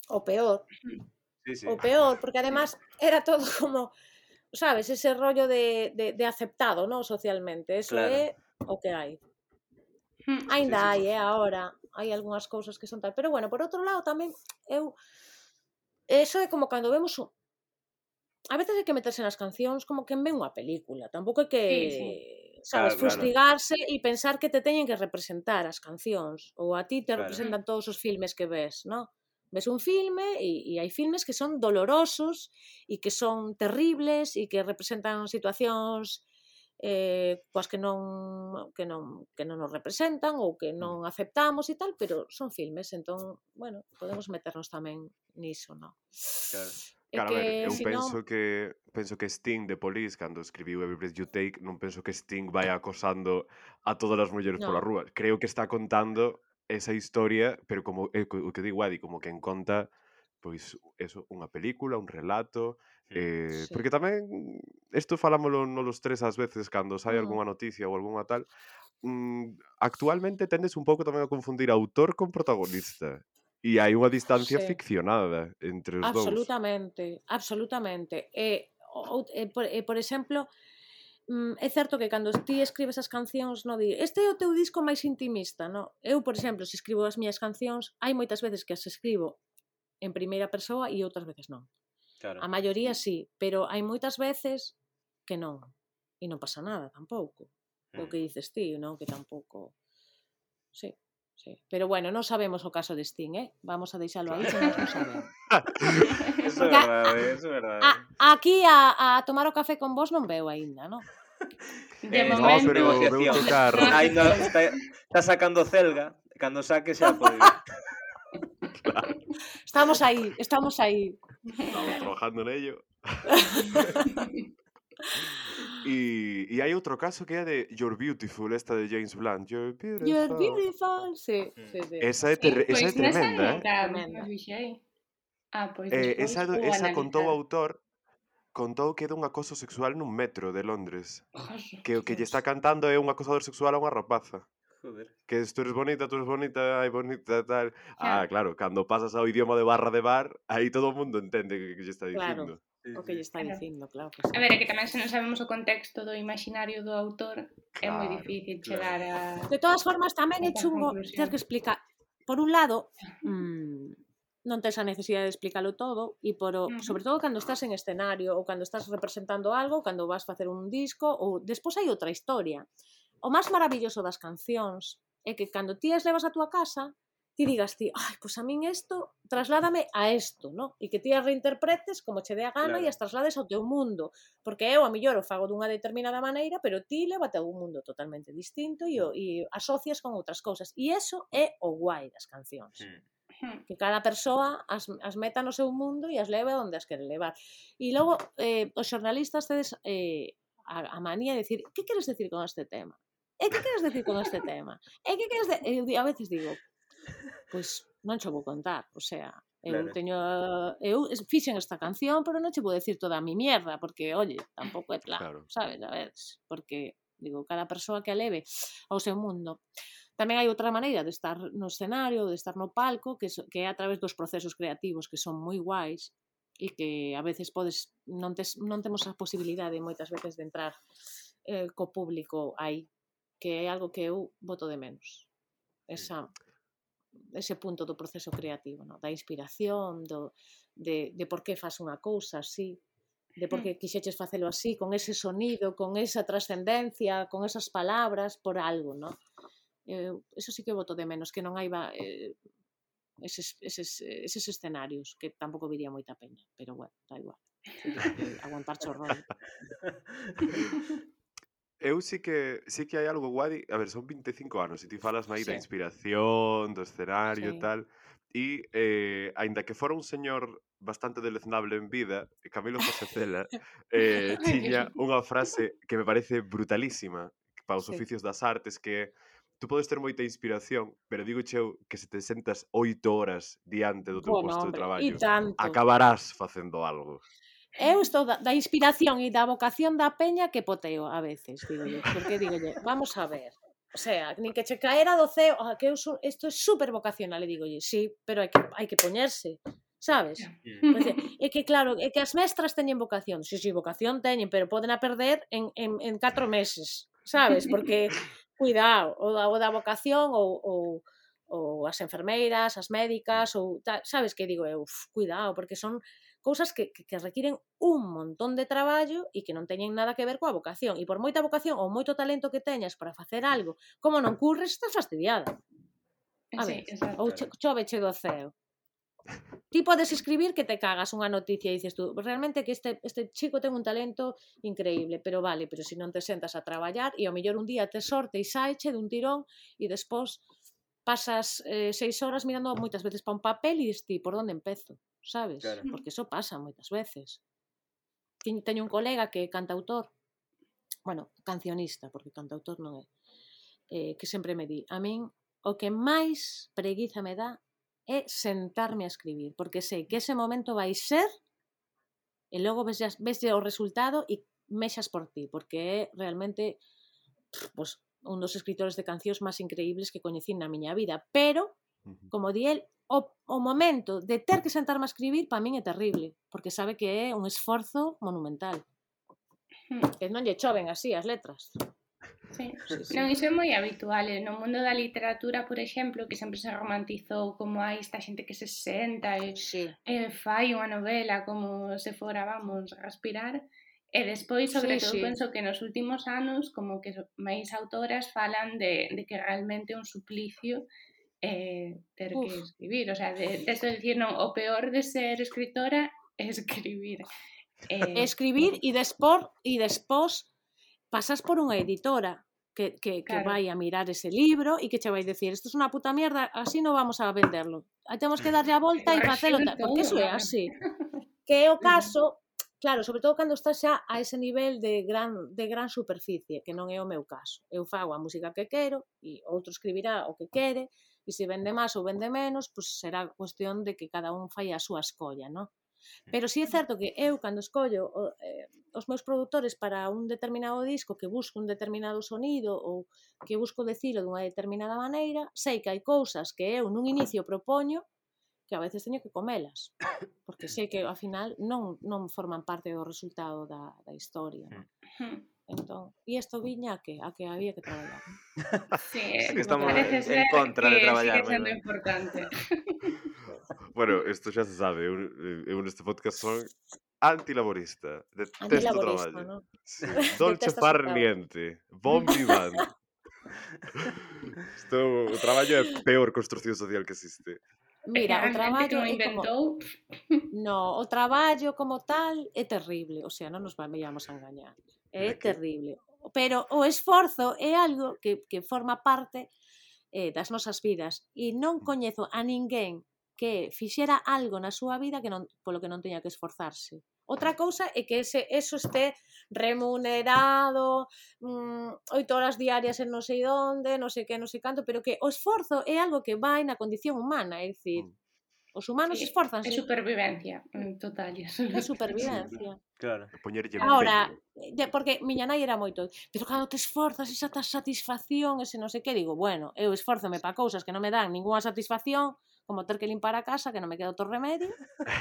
O peor. Sí, sí. O peor, porque además era todo como, sabes, ese rollo de, de, de aceptado, ¿no? Socialmente. Eso Claro. é o que hai. Hmm. Ainda Sí, sí, hai, sí. eh, agora. Hai algunhas cousas que son tal. Pero bueno, por outro lado tamén, eu... Eso é como cando vemos un... A veces hai que meterse nas cancións como que ven unha película. Tampouco hai que, Sí, sí. sabes, Claro, claro. fustigarse e pensar que te teñen que representar as cancións. Ou a ti te Claro. representan todos os filmes que ves, ¿no? Ves un filme e, e hai filmes que son dolorosos e que son terribles e que representan situacións eh, coas que non, que non que non nos representan ou que non aceptamos e tal, pero son filmes, entón, bueno, podemos meternos tamén niso, ¿no? Claro. É Claro, a ver, que, eu si penso non... que penso que Sting de Police, cando escribiu Every Breath You Take, non penso que Sting vai acosando a todas as mulleres pola No. rúa. Creo que está contando esa historia, pero como é co- o que digo Adi, como que en conta pois eso, unha película, un relato, eh, Sí. porque tamén isto falámoslo nos tres ás veces cando sai Mm. algunha noticia ou algunha tal, mm, actualmente tendes un pouco tamén a confundir autor con protagonista. E hai unha distancia Sí. ficcionada entre os dous. Absolutamente, absolutamente. E, o, e, por, e, por exemplo, mm, é certo que cando ti escribes as cancións no di, este é o teu disco máis intimista, no? Eu, por exemplo, se escribo as miñas cancións, hai moitas veces que as escribo en primeira persoa e outras veces non. Claro. A maioría sí, pero hai moitas veces que non. E non pasa nada tampouco. O que dices ti, non? Que tampouco... Sí. Sí. Pero bueno, non sabemos o caso de Sting, eh? Vamos a deixalo aí, se nós non sabemos. Eso é Porque a, verdade, eso é verdade. a, aquí a, a tomar o café con vos non veo aínda, non? De Eh, No, momento... pero veu negociación. tocar. Ainda está, está sacando Celga, cando saque xa pode ir. Claro, Estamos aí, estamos aí. estamos trabajando nello. E, e hai outro caso que é de You're Beautiful, esta de James Blunt. You're You're beautiful. beautiful, sí, sí, sí. Esa é, Sí, ter, esa é pois nesa tremenda, eh? nunca Tremenda. me fixei. Ah, pois eh despois esa, vou esa contou o analizar. autor, contou que é dun acoso sexual nun metro de Londres. Joder, Que o que lle Dios. está cantando é un acosador sexual a unha rapaza. Joder. Que es, tú eres bonita, tú eres bonita, ai bonita, tal. Ah, Xa. claro, cando pasas ao idioma de barra de bar, aí todo o mundo entende que, que lle está Claro, dicindo. Sí, o que lle sí. está Claro. dicindo, claro que sí. A ver, é que tamén se non sabemos o contexto do imaginario do autor, é moi Claro, difícil claro. chegar a... De todas formas, tamén é Esa chungo conclusión. ter que explicar. Por un lado, mmm, non tes a necesidade de explicarlo todo e por o, Ujú. sobre todo cando estás en escenario ou cando estás representando algo, cando vas facer un disco ou despois hai outra historia. O máis maravilloso das cancións é que cando ti as levas a túa casa, ti digas ti, ai, pois a min isto trasládame a isto, no? E que ti as reinterpretes como che dé a gana Claro. e as traslades ao teu mundo, porque eu a millor o fago dunha determinada maneira, pero ti lévate a un mundo totalmente distinto e, o, e asocias con outras cousas. E iso é o guai das cancións. Mm. Hmm. Que cada persoa as, as meta no seu mundo e as leve onde as quere levar. E logo, eh, os xornalistas tedes eh, a, a manía de decir, que queres decir con este tema? E que queres decir con este tema? E que queres de... Eu a veces digo, pois non che vou contar, o sea, eu Claro. teño eu fixen esta canción, pero non che vou decir toda a mi mierda, porque, oye, tampouco é plan, Claro. sabes, a ver, porque digo, cada persoa que a leve ao seu mundo. Tamén hai outra maneira de estar no escenario, de estar no palco, que, so, que é a través dos procesos creativos que son moi guais e que a veces podes non, tes, non temos a posibilidade moitas veces de entrar eh, co público aí, que é algo que eu boto de menos. Esa, ese punto do proceso creativo, no? Da inspiración, do, de, de por que faz unha cousa así, de por que quixeches facelo así, con ese sonido, con esa trascendencia, con esas palabras, por algo, no? Eh, eso sí que voto de menos, que non hai eh, eses, eses, eses escenarios, que tampouco viría moita peña, pero bueno, da igual. Eh, aguantar chorrón. Eu sí que sí que hai algo guai, a ver, son vinte e cinco anos e ti falas aí da Sí. inspiración, do escenario e Sí. tal, e eh, aínda que fora un señor bastante deleznable en vida, Camilo José Cela, eh, tiña unha frase que me parece brutalísima para os Sí. oficios das artes, que tú podes ter moita inspiración, pero digo cheu que se te sentas oito horas diante do teu Bueno, posto de hombre, traballo, e tanto. acabarás facendo algo. Eu estou da, da inspiración e da vocación da peña que poteo a veces, digo yo, porque digo yo, vamos a ver, o sea, nin que che caera do ceo, ah, que eu so, isto é super vocacional, e digo yo, sí, pero hai que, hai que poñerse, sabes? Pois é, é que claro, é que as mestras teñen vocación, si, si, vocación teñen, pero poden a perder en, en, en catro meses, sabes? Porque, cuidado, o da, o da vocación ou, ou, ou as enfermeiras, as médicas, ou tal, sabes que digo eu, uf, cuidado, porque son cousas que, que, que requiren un montón de traballo e que non teñen nada que ver coa vocación. E por moita vocación ou moito talento que teñas para facer algo, como non curres, estás fastidiada. A Sí, ver, exacto. ou cho, choveche do ceo. Ti podes escribir que te cagas unha noticia e dices tú, realmente que este, este chico ten un talento increíble, pero vale, pero se si non te sentas a traballar e ao mellor un día te sorte e saeche dun tirón e despois pasas eh, seis horas mirando moitas veces pa un papel e dis ti, por onde empezo, sabes? Claro. Porque eso pasa moitas veces. Teño un colega que é cantautor, bueno, cancionista, porque cantautor non é, eh, que sempre me di, a min o que máis preguiza me dá é sentarme a escribir, porque sei que ese momento vai ser e logo ves, ves o resultado e mexas por ti, porque é realmente pues, un dos escritores de cancións máis increíbles que coñecín na miña vida, pero, como di el, o, o momento de ter que sentarme a escribir para min é terrible, porque sabe que é un esforzo monumental. Que non lle choven así as letras. Sí. Sí, sí. Non, iso é moi habitual. No mundo da literatura, por exemplo, que sempre se romantizou como hai esta xente que se senta e, Sí. e fai unha novela como se fora, vamos, respirar. E despois, sobre Sí, todo, sí. penso que nos últimos anos como que máis autoras falan de, de que realmente é un suplicio eh, ter Uf. que escribir. O sea, de, de esto de decir, non, o peor de ser escritora é escribir. Eh, Escribir e despor e despós pasas por unha editora que, que, que Claro. vai a mirar ese libro e que che vai decir isto é unha puta mierda, así non vamos a venderlo. Aí temos que darlle a volta e facelo tal, porque iso é así. Que é o caso, claro, sobre todo cando estás xa a ese nivel de gran, de gran superficie, que non é o meu caso. Eu fago a música que quero e outro escribirá o que quere e se vende máis ou vende menos, pues será cuestión de que cada un fai a súa escolla, non? Pero si é certo que eu, cando escollo eh, os meus produtores para un determinado disco que busco un determinado sonido ou que busco decilo dunha determinada maneira, sei que hai cousas que eu nun inicio propoño que a veces teño que comelas, porque sei que ao final non, non forman parte do resultado da, da historia. Non? Entón, e isto viña a que, a que había que traballar. Non? Sí, Sí, que estamos parece en, ser en contra que de traballar. sigue sendo ¿verdad? importante. Bueno, isto xa se sabe, eu, eu neste podcast son antilaborista, detesto o Antilaborista, traballo. non? Sí. Dolce Detestas o far traballo. niente, bon vivant. Isto, o traballo é a peor construcción social que existe. Mira, o Realmente que traballo o é como... inventou. No, o traballo como tal é terrible, o sea, non nos vayamos a engañar. É De que? terrible. Pero o esforzo é algo que, que forma parte eh, das nosas vidas e non coñezo a ninguén que fixera algo na súa vida que non, polo que non teña que esforzarse. Outra cousa é que ese, eso este remunerado, mm, oito horas diarias en non sei onde, non sei que, non sei canto, pero que o esforzo é algo que vai na condición humana, é dicir, os humanos Sí, é esforzanse. supervivencia, en total. É supervivencia. Claro. Poñerlle Ahora, empeño. porque miña nai era moito, pero cando te esforzas, esa satisfacción, ese non sei que, digo, bueno, eu esfórzome para cousas que non me dan ninguna satisfacción, como ter que limpar a casa, que non me queda outro remedio,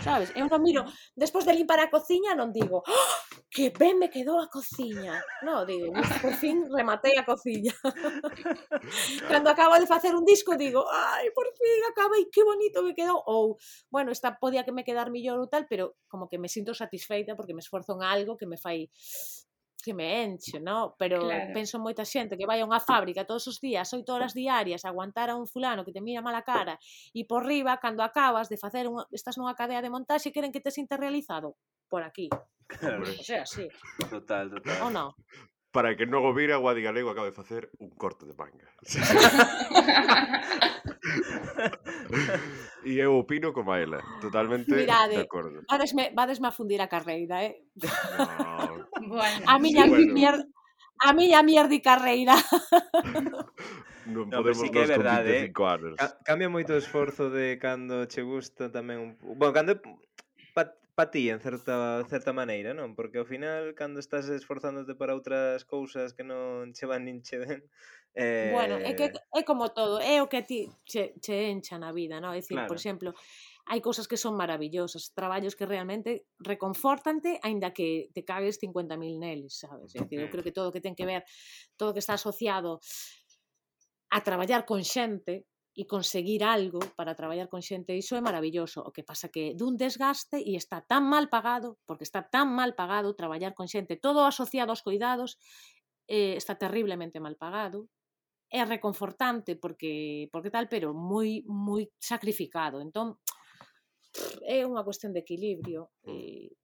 sabes? Eu non miro, despois de limpar a cociña, non digo, oh, que ben me quedou a cociña. Non, digo, por fin rematei a cociña. Cando acabo de facer un disco, digo, ai, por fin acabei, que bonito me quedou. Ou, bueno, esta podía que me quedar millor ou tal, pero como que me sinto satisfeita porque me esforzo en algo que me fai que me enche, no? Pero Claro. penso en moita xente que vai a unha fábrica todos os días, oito horas diarias, a aguantar a un fulano que te mira mala cara e por riba, cando acabas de facer unha, estás nunha cadea de montaxe, queren que te sintas realizado por aquí. Claro. O sea, sí. Total, total. Ou non? Para que non o vira, Guadi Galego acaba de facer un corte de manga. E eu opino como a ela, totalmente Mirade, de acordo. vadesme, vadesme a fundir a carreira, eh? No. Bueno, A miña Sí, bueno. mier... a miña mierdi carreira. Non No, pero podemos sí que é nós con verdade, vinte e cinco anos. Ca cambia moito o esforzo de cando che gusta tamén un... Bueno, cando pa, pa ti, en certa, certa maneira, non? Porque ao final, cando estás esforzándote para outras cousas que non che van nin che ven... Eh... Bueno, é que é como todo, é o que a ti che, che encha na vida, non? É dicir, Claro. por exemplo, hai cousas que son maravillosas, traballos que realmente reconfortante, aínda que te cagues cincuenta mil neles, sabes? É dicir, eu creo que todo o que ten que ver, todo o que está asociado a traballar con xente e conseguir algo para traballar con xente, iso é maravilloso. O que pasa que dun desgaste e está tan mal pagado, porque está tan mal pagado traballar con xente, todo asociado aos cuidados, eh, está terriblemente mal pagado. É reconfortante porque porque tal, pero moi moi sacrificado. Entón, é unha cuestión de equilibrio e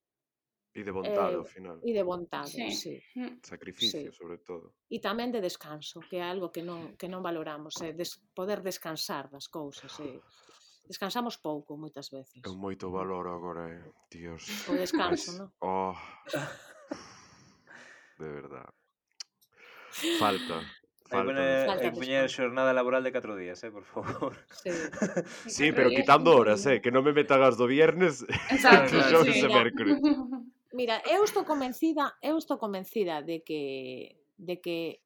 E de vontade, eh, ao final. e de vontade, sí. sí. Sacrificio, Sí. sobre todo. E tamén de descanso, que é algo que non, que non valoramos, é des, poder descansar das cousas. É. Descansamos pouco, moitas veces. Eu moito valoro agora, eh. Dios. O descanso, Mas- non? Oh. De verdad. Falta. Hai que Falta. poñer, Falta hai que poñer descanso. xornada laboral de catro días, eh, por favor. Sí. Sí, catro pero días quitando cinco horas, eh, días. que non me metan as do viernes, Exacto, entre Claro, xoves sí. e Mira, mércores. mira, eu estou convencida, eu estou convencida de que de que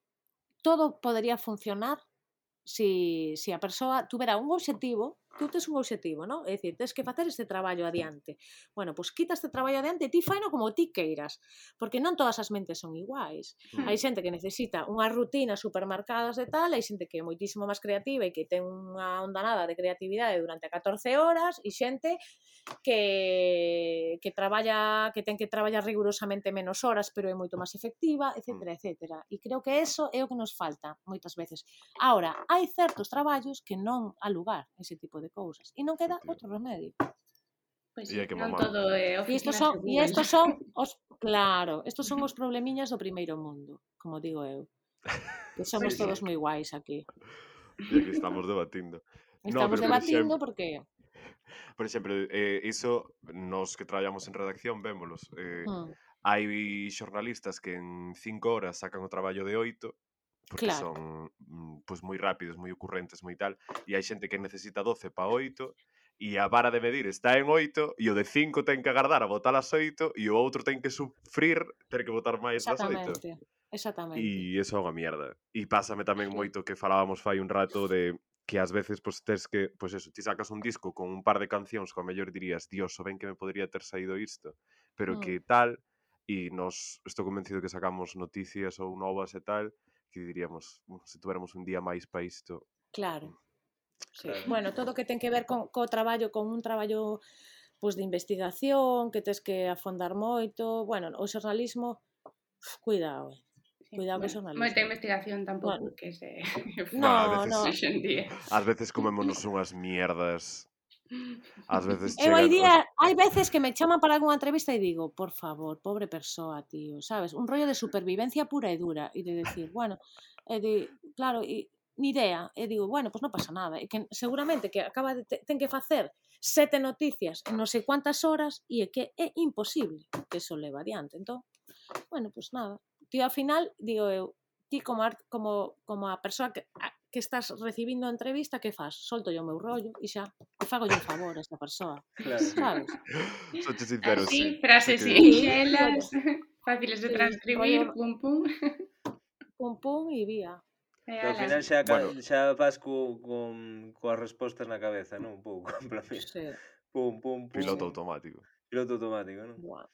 todo podería funcionar si, si a persoa tuvera un obxectivo, tú tes un obxectivo, non? É dicir, tes que facer este traballo adiante. Bueno, pois quita este traballo adiante e ti faino como ti queiras, porque non todas as mentes son iguais. Mm. Hai xente que necesita unhas rutinas supermarcadas de tal, hai xente que é moitísimo máis creativa e que ten unha ondanada de creatividade durante catorce horas e xente que, que traballa, que ten que traballar rigurosamente menos horas, pero é moito máis efectiva, etcétera, etcétera. E creo que eso é o que nos falta moitas veces. Ahora, hai certos traballos que non há lugar ese tipo de cousas e non queda outro remedio. Pois E sí, hai que non mamar. todo é E estos oficinas son, de e Google. estos son os, claro, estos son os problemiñas do primeiro mundo, como digo eu. Que somos Pois sí. todos moi guais aquí. E aquí estamos debatindo. No, Estamos pero por debatindo exemplo, porque por exemplo, eh, iso nos que traballamos en redacción vémolos. Eh, hmm, hai xornalistas que en cinco horas sacan o traballo de oito, porque claro, son mm, pois moi rápidos, moi ocurrentes, moi tal, e hai xente que necesita doce para oito, e a vara de medir está en oito, e o de cinco ten que agardar a botar as oito, e o outro ten que sufrir ter que botar máis das oito. exactamente, exactamente. E iso é unha mierda. E pásame tamén Sí. moito que falábamos fai un rato de que ás veces pois tes que, pois eso, ti sacas un disco con un par de cancións que ao mellor dirías, Dios, o ben que me podría ter saído isto, pero Hmm, que tal, e nos estou convencido que sacamos noticias ou novas e tal, que diríamos, "Uh, se tuéramos un día máis para isto." claro. Sí. Claro. Bueno, todo o que ten que ver con co traballo, con un traballo pois de investigación, que tes que afondar moito, bueno, o xornalismo, uf, cuidado, eh. Sí, Cuidado que bueno, xornalismo. moita investigación tampouco Bueno, que se no, Bah, a veces, no. hoxe en día. ás veces comémonos unhas mierdas. Ás veces Eu hai chegan os... día, hai veces que me chaman para algunha entrevista e digo, por favor, pobre persoa, tío, sabes? Un rollo de supervivencia pura e dura e de decir, bueno, e de, claro, e ni idea, e digo, bueno, pois pues non pasa nada, e que seguramente que acaba de te, ten que facer sete noticias en non sei cuántas horas e é que é imposible que eso leva adiante. Entón, bueno, pois pues nada. Tío, ao final, digo eu, ti como, art, como, como a persoa que, a, que estás recibindo a entrevista, que faz? Solto yo o meu rollo e xa, e fago yo un favor a esta persoa, Claro. sabes? Soche sincero, Así, sí. frases Sí que- sinxelas, fáciles de Sí, transcribir, rollo- pum pum. Pum pum e vía. E Que ao ala. final xa, Bueno. bueno. xa vas co, con, coas respostas na cabeza, non? Un pouco, en plan, mira, Sí, pum, pum, pum. Piloto Sí. automático. Piloto automático, non? buah.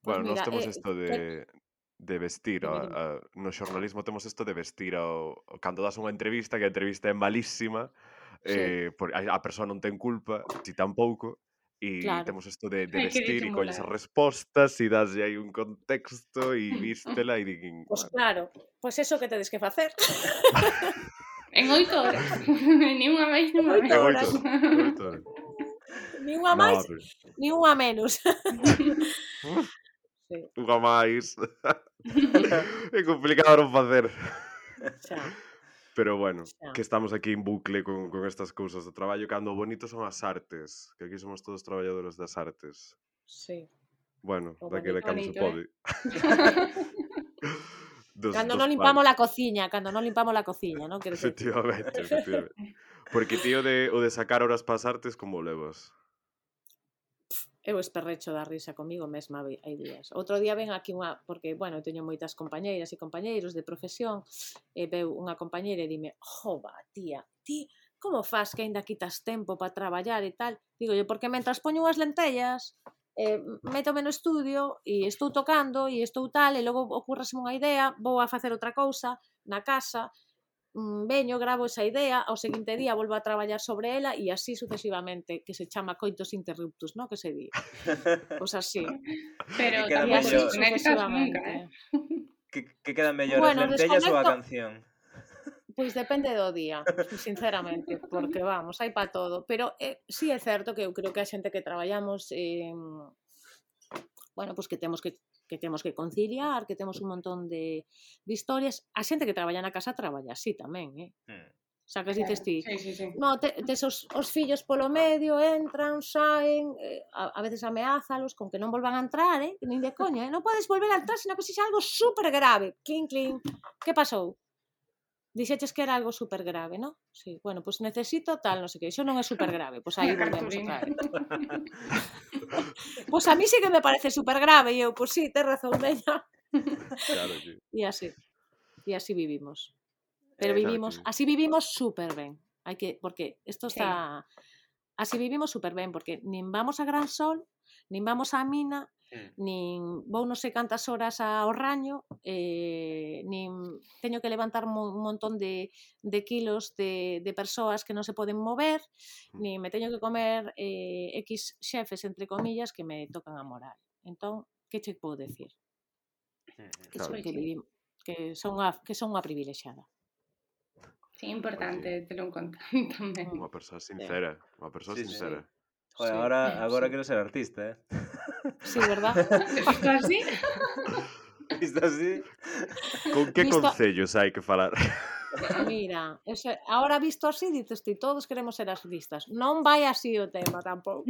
Pues Bueno, nós mira, temos eh, isto que- de, de vestir, Dime, a, dime. a, no xornalismo temos isto de vestir ao, cando das unha entrevista, que a entrevista é malísima, Sí. eh, por, a, a persoa non ten culpa, ti tampouco, e Claro. temos isto de, de Hai que vestir e colles as disimular. respostas e daslle aí un contexto e vístela e din, Pois bueno, claro, pois eso que tedes que facer. En oito horas. Ni unha máis, ni unha Oito en menos. horas. oito horas, en oito horas. Ni unha No, máis, pero, ni unha menos. Sí, unha máis. É complicado non facer. xa, Pero bueno, xa. que estamos aquí en bucle con, con estas cousas do traballo, cando o bonito son as artes, que aquí somos todos traballadores das artes. Sí. Bueno, O daquele bonito, cando se bonito, pode. Dos, Cando dos non limpamos pares. la cociña, cando non limpamos la cociña, non? Quero decir. Efectivamente, efectivamente. Porque tío de, o de sacar horas para as artes, como o levas? Eu esperrecho da risa comigo mesma hai hai días. Outro día ven aquí unha, porque, bueno, teño moitas compañeiras e compañeiros de profesión, e veu unha compañeira e dime, jova, tía, ti, como faz que aínda quitas tempo para traballar e tal? Digo yo, porque mentras poño unhas lentellas, eh, métome no estudio e estou tocando e estou tal, e logo ocurraseme unha idea, vou a facer outra cousa na casa, veño, gravo esa idea, ao seguinte día volvo a traballar sobre ela e así sucesivamente, que se chama coitos interruptus, non? Que se di. Pois así. Pero Que queda E tampouco así mellor. desconectas nunca, sucesivamente. eh? Que, que quedan mellor Bueno, as lentellas ou a desconecto- canción? Pois depende do día, sinceramente, porque vamos, hai pa todo. Pero eh, sí é certo que eu creo que a xente que traballamos, eh, bueno, pois que temos que que temos que conciliar, que temos un montón de, de historias. A xente que traballa na casa traballa así tamén, eh? Hmm. Sacas, dices ti, Sí, sí, sí. no, te, tes os, os fillos polo medio, entran, saen, eh, a, a veces ameázalos con que non volvan a entrar, eh? Nin de coña, eh? Non podes volver a entrar, senón que sexa algo super grave. Clink, clink, que pasou? Dixeches que era algo super grave, non? Sí, bueno, pois pues necesito tal, non sei que, iso non é super grave, pois pues aí volvemos outra vez. Pois pues a mí sí que me parece super grave, e eu, pois pues sí, tes razón, veña. Claro, sí. E así, e así vivimos. Pero Eh, vivimos, Claro que- así vivimos super ben. Hai que, porque isto Sí. está, así vivimos super ben, porque nin vamos a Gran Sol, nin vamos á mina, Mm. nin vou non sei cantas horas ao raño, eh, nin teño que levantar un montón de, de kilos de, de persoas que non se poden mover, nin me teño que comer eh, X xefes, entre comillas, que me tocan a moral. Entón, que che podo decir? Que, Claro. son, que, vivim, que, son a, que son unha privilexiada. Sí, importante telo en conta tamén. Unha persoa sincera, unha persoa Sí, sí. sincera. Joder, Sí, agora, agora sí. quero ser artista, eh? Sí, verdad? Isto así? Isto así? Con que Visto- concellos hai que falar? Mira, ese, ahora visto así, dices ti, todos queremos ser artistas. Non vai así o tema tampouco.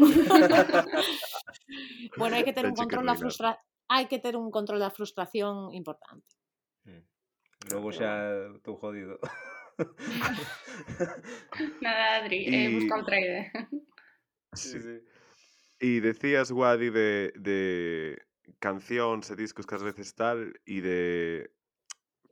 Bueno, hai que ter un Tenche que control da reinar. frustra... hai que ter un control da frustración importante. Mm. Logo Pero xa estou jodido. Nada, Adri, eh, Y- busca outra idea. Sí. E decías, Guadi, de, de cancións e discos que ás veces tal, e de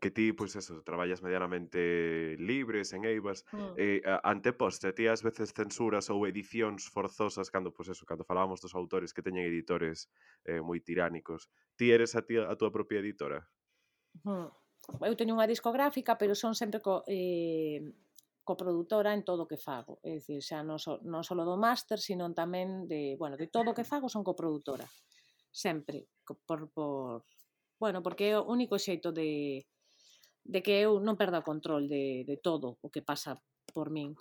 que ti, pois eso, traballas medianamente libres en Eivas, Mm. eh, a- anteposte, ti ás veces censuras ou edicións forzosas cando, pois eso, cando falábamos dos autores que teñen editores eh, moi tiránicos. Ti eres a, ti, a túa propia editora? Mm. Eu teño unha discográfica, pero son sempre co, eh, coprodutora en todo o que fago. É dicir, xa non, so, non só do máster, sino tamén de, bueno, de todo o que fago son coprodutora. Sempre. Co- Por, por, bueno, porque é o único xeito de, de que eu non perda o control de, de todo o que pasa por min.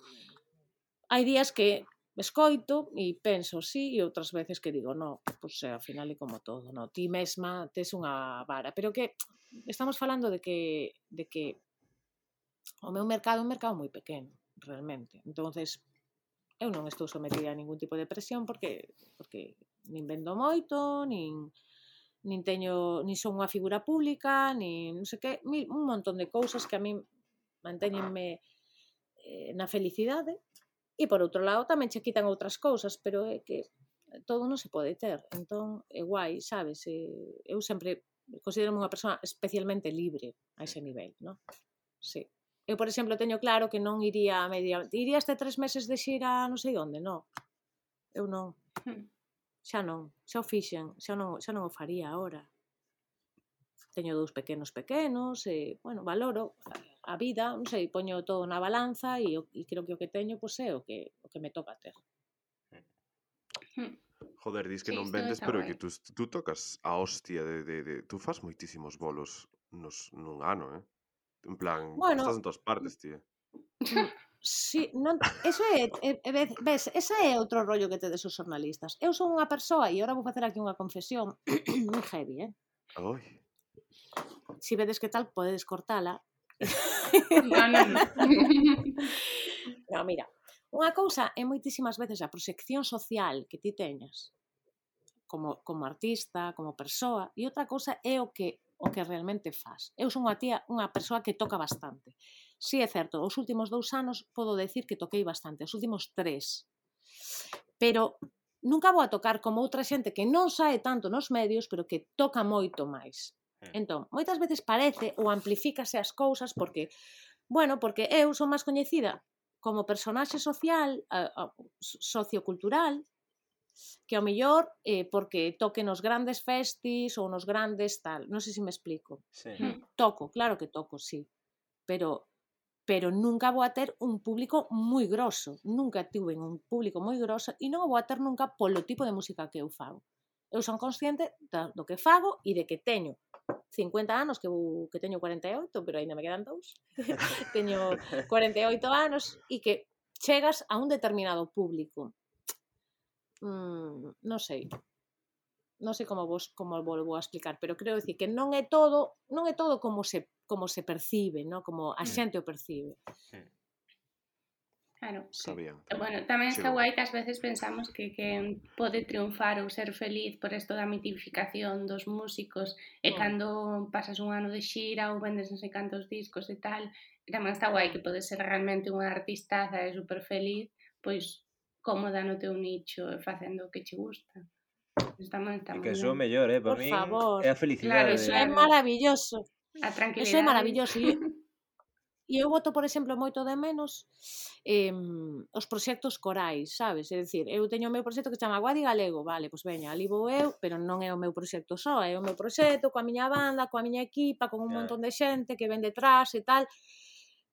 Hai días que escoito e penso sí, e outras veces que digo, no, pois pues, ao final é como todo, no, ti mesma tes unha vara, pero que estamos falando de que de que o meu mercado é un mercado moi pequeno, realmente. Entonces, eu non estou sometida a ningún tipo de presión porque porque nin vendo moito, nin nin teño, nin son unha figura pública, nin non sei que, mil, un montón de cousas que a min mantéñenme eh, na felicidade. E por outro lado tamén che quitan outras cousas, pero é que todo non se pode ter. Entón, é guai, sabes? Eu sempre considero unha persoa especialmente libre a ese nivel, non? Sí. Eu, por exemplo, teño claro que non iría a media... Iría este tres meses de xira non sei onde, non. Eu non. Xa non. Xa o fixen. Xa non, xa non o faría agora. Teño dous pequenos pequenos, e, bueno, valoro a vida, non sei, poño todo na balanza e, e creo que o que teño, pois, é o que, o que me toca ter. Joder, dis que Sí, non isto vendes, está pero é guai. que tú, tú tocas a hostia de, de, de... Tú fas moitísimos bolos nos, nun ano, eh? En plan, Bueno, estás en todas partes, tío. Sí, non, eso é, é, é, ves, esa é outro rollo que tedes os xornalistas. Eu son unha persoa, e agora vou facer aquí unha confesión moi heavy, eh? Oi. Si vedes que tal, podedes cortala. No, no, no. No, mira, unha cousa é moitísimas veces a proxección social que ti teñas como, como artista, como persoa, e outra cousa é o que o que realmente faz. Eu son unha tía, unha persoa que toca bastante. Si é certo, os últimos dous anos podo decir que toquei bastante, os últimos tres. Pero nunca vou a tocar como outra xente que non sae tanto nos medios, pero que toca moito máis. Entón, moitas veces parece ou amplifícase as cousas porque, bueno, porque eu son máis coñecida como personaxe social, a, a, sociocultural, que ao mellor eh, porque toque nos grandes festis ou nos grandes tal, non sei se me explico. Sí. Toco, claro que toco, sí, pero pero nunca vou a ter un público moi grosso, nunca tuve un público moi grosso e non o vou a ter nunca polo tipo de música que eu fago. Eu son consciente do que fago e de que teño cincuenta anos, que, vou, que teño cuarenta e oito, pero ainda me quedan dous. Teño cuarenta e oito anos e que chegas a un determinado público. Mm, non sei. Non sei como vos como vos vou a explicar, pero creo decir que non é todo, non é todo como se como se percibe, ¿no? Como a xente o percibe. Claro. Sabían. Bueno, tamén está Chegou. guai que ás veces pensamos que quen pode triunfar ou ser feliz por isto da mitificación dos músicos e Mm. cando pasas un ano de xira ou vendes non sei cantos discos e tal, tamén está guai que podes ser realmente unha artistaza e super feliz, pois cómoda no teu nicho e facendo o que che gusta. Pois tamén está E moi que eso é o ben. mellor, eh? Para Por min favor. é a Claro, felicidade. Eso é claro. maravilloso. A Eso é tranquilidade. maravilloso. E E eu boto, por exemplo, moito de menos eh, os proxectos corais, sabes? É dicir, eu teño o meu proxecto que chama Guadi Galego, vale, pois veña, ali vou eu, pero non é o meu proxecto só, é o meu proxecto coa miña banda, coa miña equipa, con un Ya. montón de xente que ven detrás e tal,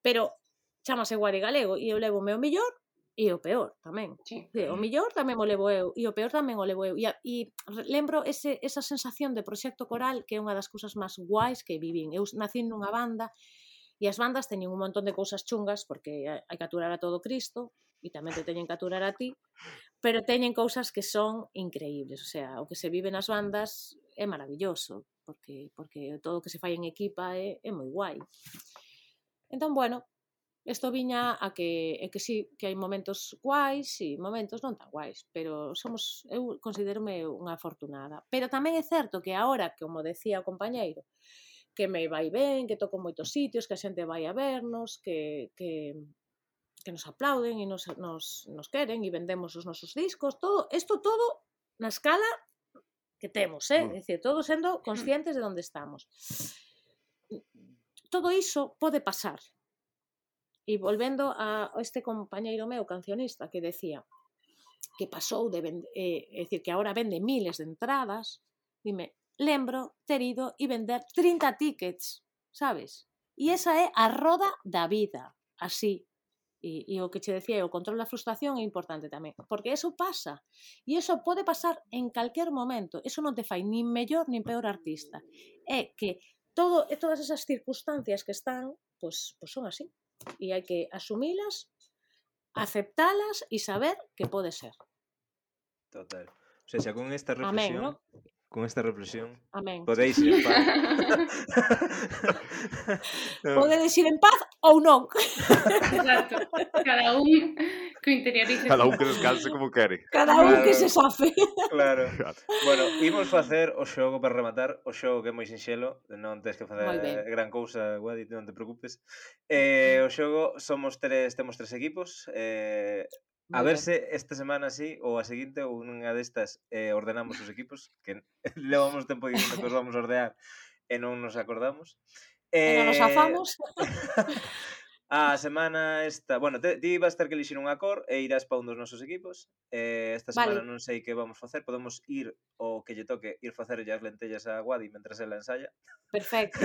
pero chamase Guadi Galego e eu levo o meu millor e o peor tamén. Sí. Sí, o millor tamén o levo eu e o peor tamén o levo eu. E, a, e lembro ese, esa sensación de proxecto coral que é unha das cousas máis guais que vivín. Eu nací nunha banda e as bandas teñen un montón de cousas chungas porque hai que aturar a todo Cristo e tamén te teñen que aturar a ti, pero teñen cousas que son increíbles, o sea, o que se vive nas bandas é maravilloso, porque porque todo o que se fai en equipa é, é moi guai. Entón, bueno, isto viña a que, é que sí, que hai momentos guais e momentos non tan guais, pero somos, eu considérome unha afortunada. Pero tamén é certo que agora, como decía o compañeiro, que me vai ben, que toco moitos sitios, que a xente vai a vernos, que, que, que nos aplauden e nos, nos, nos queren e vendemos os nosos discos, todo, isto todo na escala que temos, eh? É dicir, todo sendo conscientes de onde estamos. Todo iso pode pasar. E volvendo a este compañeiro meu, cancionista, que decía que pasou de vender, eh, é dicir, que agora vende miles de entradas, dime, lembro ter ido e vender trinta tickets, sabes? E esa é a roda da vida, así. E, e o que che decía, o control da frustración é importante tamén, porque eso pasa. E eso pode pasar en calquer momento. Eso non te fai nin mellor nin peor artista. É que todo, todas esas circunstancias que están, pues, pues son así. E hai que asumilas, aceptalas e saber que pode ser. Total. O sea, xa con esta Amén, reflexión, ¿no? con esta reflexión, Amén. podéis ir en paz. Podedes ir en paz ou non. Exacto. Cada un que interiorice. Cada un que descanse como quere. Cada un Claro. que se safe. Claro. Bueno, imos facer o xogo para rematar, o xogo que é moi sinxelo, non tens que facer Moi ben. gran cousa, Guadi, non te preocupes. Eh, o xogo somos tres, temos tres equipos, eh, a Moi ver ben. se esta semana sí ou a seguinte ou nunha destas eh, ordenamos os equipos, que levamos tempo dicindo que os vamos a ordear e non nos acordamos. E non nos afamos. A semana esta, bueno, te, ti vas ter que elixir unha cor e irás para un dos nosos equipos. Eh, esta semana Vale. non sei que vamos facer, podemos ir o que lle toque ir facer as lentellas a Guadi mentras ela ensaya. Perfecto.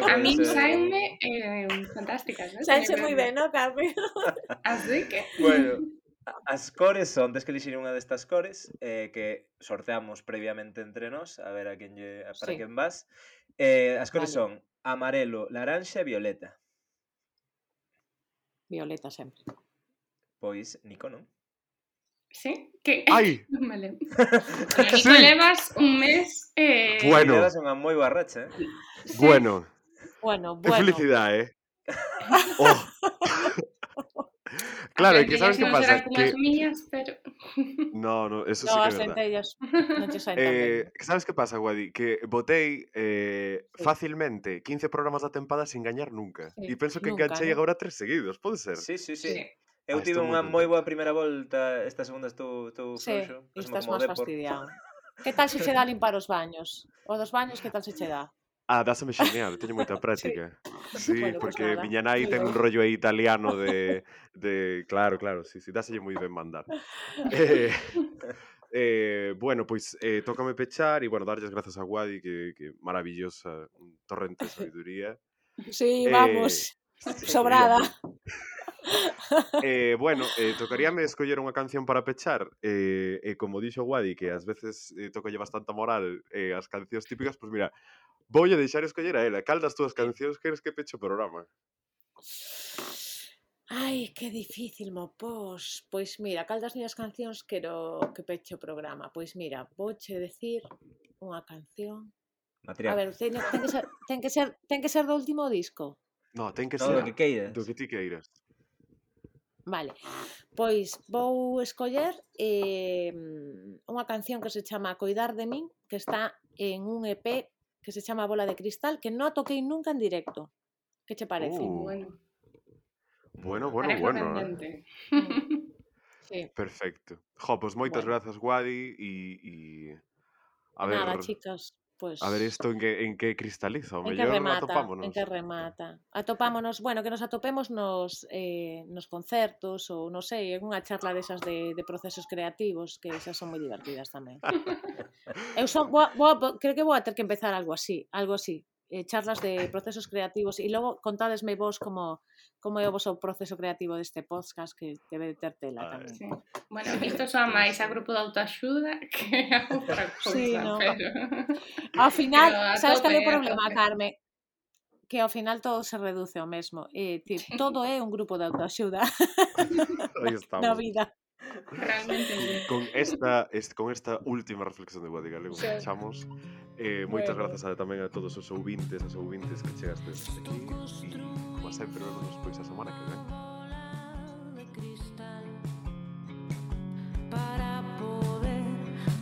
A mí saenme eh, fantásticas, ¿no? Saense moi ben, ¿no, Carmen? Así que... Bueno, as cores son, tes que elixir unha destas cores eh, que sorteamos previamente entre nós, a ver a quen lle, para Sí. quen vas. Eh, as cores Vale. son amarelo, laranxa e violeta. Violeta sempre. Pois, Nico, non? Sí, que... Ai! Vale. Nico, Sí. levas un mes... Eh... Bueno. Levas unha moi barracha, eh? Sí. Bueno. Bueno, Que bueno. felicidade, eh? Oh. Claro, é que sabes que non pasa? serán como Que... as miñas, pero... No, no, eso No, sí que é as verdad. lentellas non che saen tan ben. Eh, sabes que pasa, Guadi? Que botei eh, Sí. facilmente quince programas da tempada sin gañar nunca. Sí, E penso que nunca, enganchei ¿no? agora tres seguidos, pode ser? Sí, sí, sí. Sí. Eu Ah, tive estou moi unha moi contento. boa primeira volta, esta segunda estou, estou Sí, frouxo, e pasame estás como o máis Depor. fastidiado. Que tal se che dá limpar os baños? O dos baños, que tal se che dá? Ah, dáseme xeñal, teño moita práctica. Sí, Bueno, pues porque nada. miña nai Moi ten un ben. rollo aí italiano de, de... Claro, claro, sí, sí, dáselle moi ben mandar. Eh, eh, bueno, pois eh, tócame pechar e, bueno, darlles grazas a Guadi, que, que maravillosa, un torrente de sabiduría. Sí, Eh, vamos. sí, Sobrada. hombre. Eh, bueno, eh, tocaríame escoller unha canción para pechar eh, e como dixo Guadi que ás veces eh, tocalle bastante moral eh, as cancións típicas, pois mira, voulle deixar escoller a ela. Cal das túas cancións queres que peche o programa? Ai, que difícil, mo pos. Pois mira, cal das miñas cancións quero que peche o programa? Pois mira, vouche decir unha canción. Material. A ver, ten, ten, que ser, ten, que ser, ten que ser do último disco. No, ten que No, ser do que queiras. do que ti queiras. Vale, pois vou escoller eh, unha canción que se chama Coidar de min, que está en un E P que se chama Bola de Cristal, que non a toquei nunca en directo. Que che parece? Uh, Bueno, bueno, bueno, tarefa bueno, eh? pendente. Sí. Perfecto. Jo, pois moitas Bueno. grazas, Guadi, e, e a E ver, nada, chicas, pois... a ver isto en que, en que cristaliza. O En que mellor remata, atopámonos. en que remata. Atopámonos, bueno, que nos atopemos nos, eh, nos concertos ou, non sei, en unha charla desas de, de procesos creativos, que esas son moi divertidas tamén. Eu son, boa, boa, creo que vou a ter que empezar algo así, algo así. Eh, charlas de procesos creativos e logo contádesme vos como, como é o vosso proceso creativo deste podcast que debe de ter tela Ai. tamén. Sí. Bueno, isto soa máis a grupo de autoaxuda que a outra cousa, Sí, no. pero... Ao final, Pero a sabes cal é o tope, a problema, tope. Carme? Que ao final todo se reduce ao mesmo. Eh, ti, todo é un grupo de autoaxuda Aí na estamos. vida. Realmente sí. Con esta, este, con esta última reflexión de Guadi Galego Sí. fechamos. Eh, moitas Bueno. grazas a, tamén a todos os ouvintes, as ouvintes que chegastes hasta aquí. E, como sempre, vemos pois a semana que ven. De cristal para poder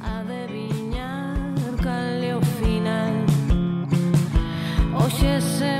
adivinar cal é o final. Hoxe se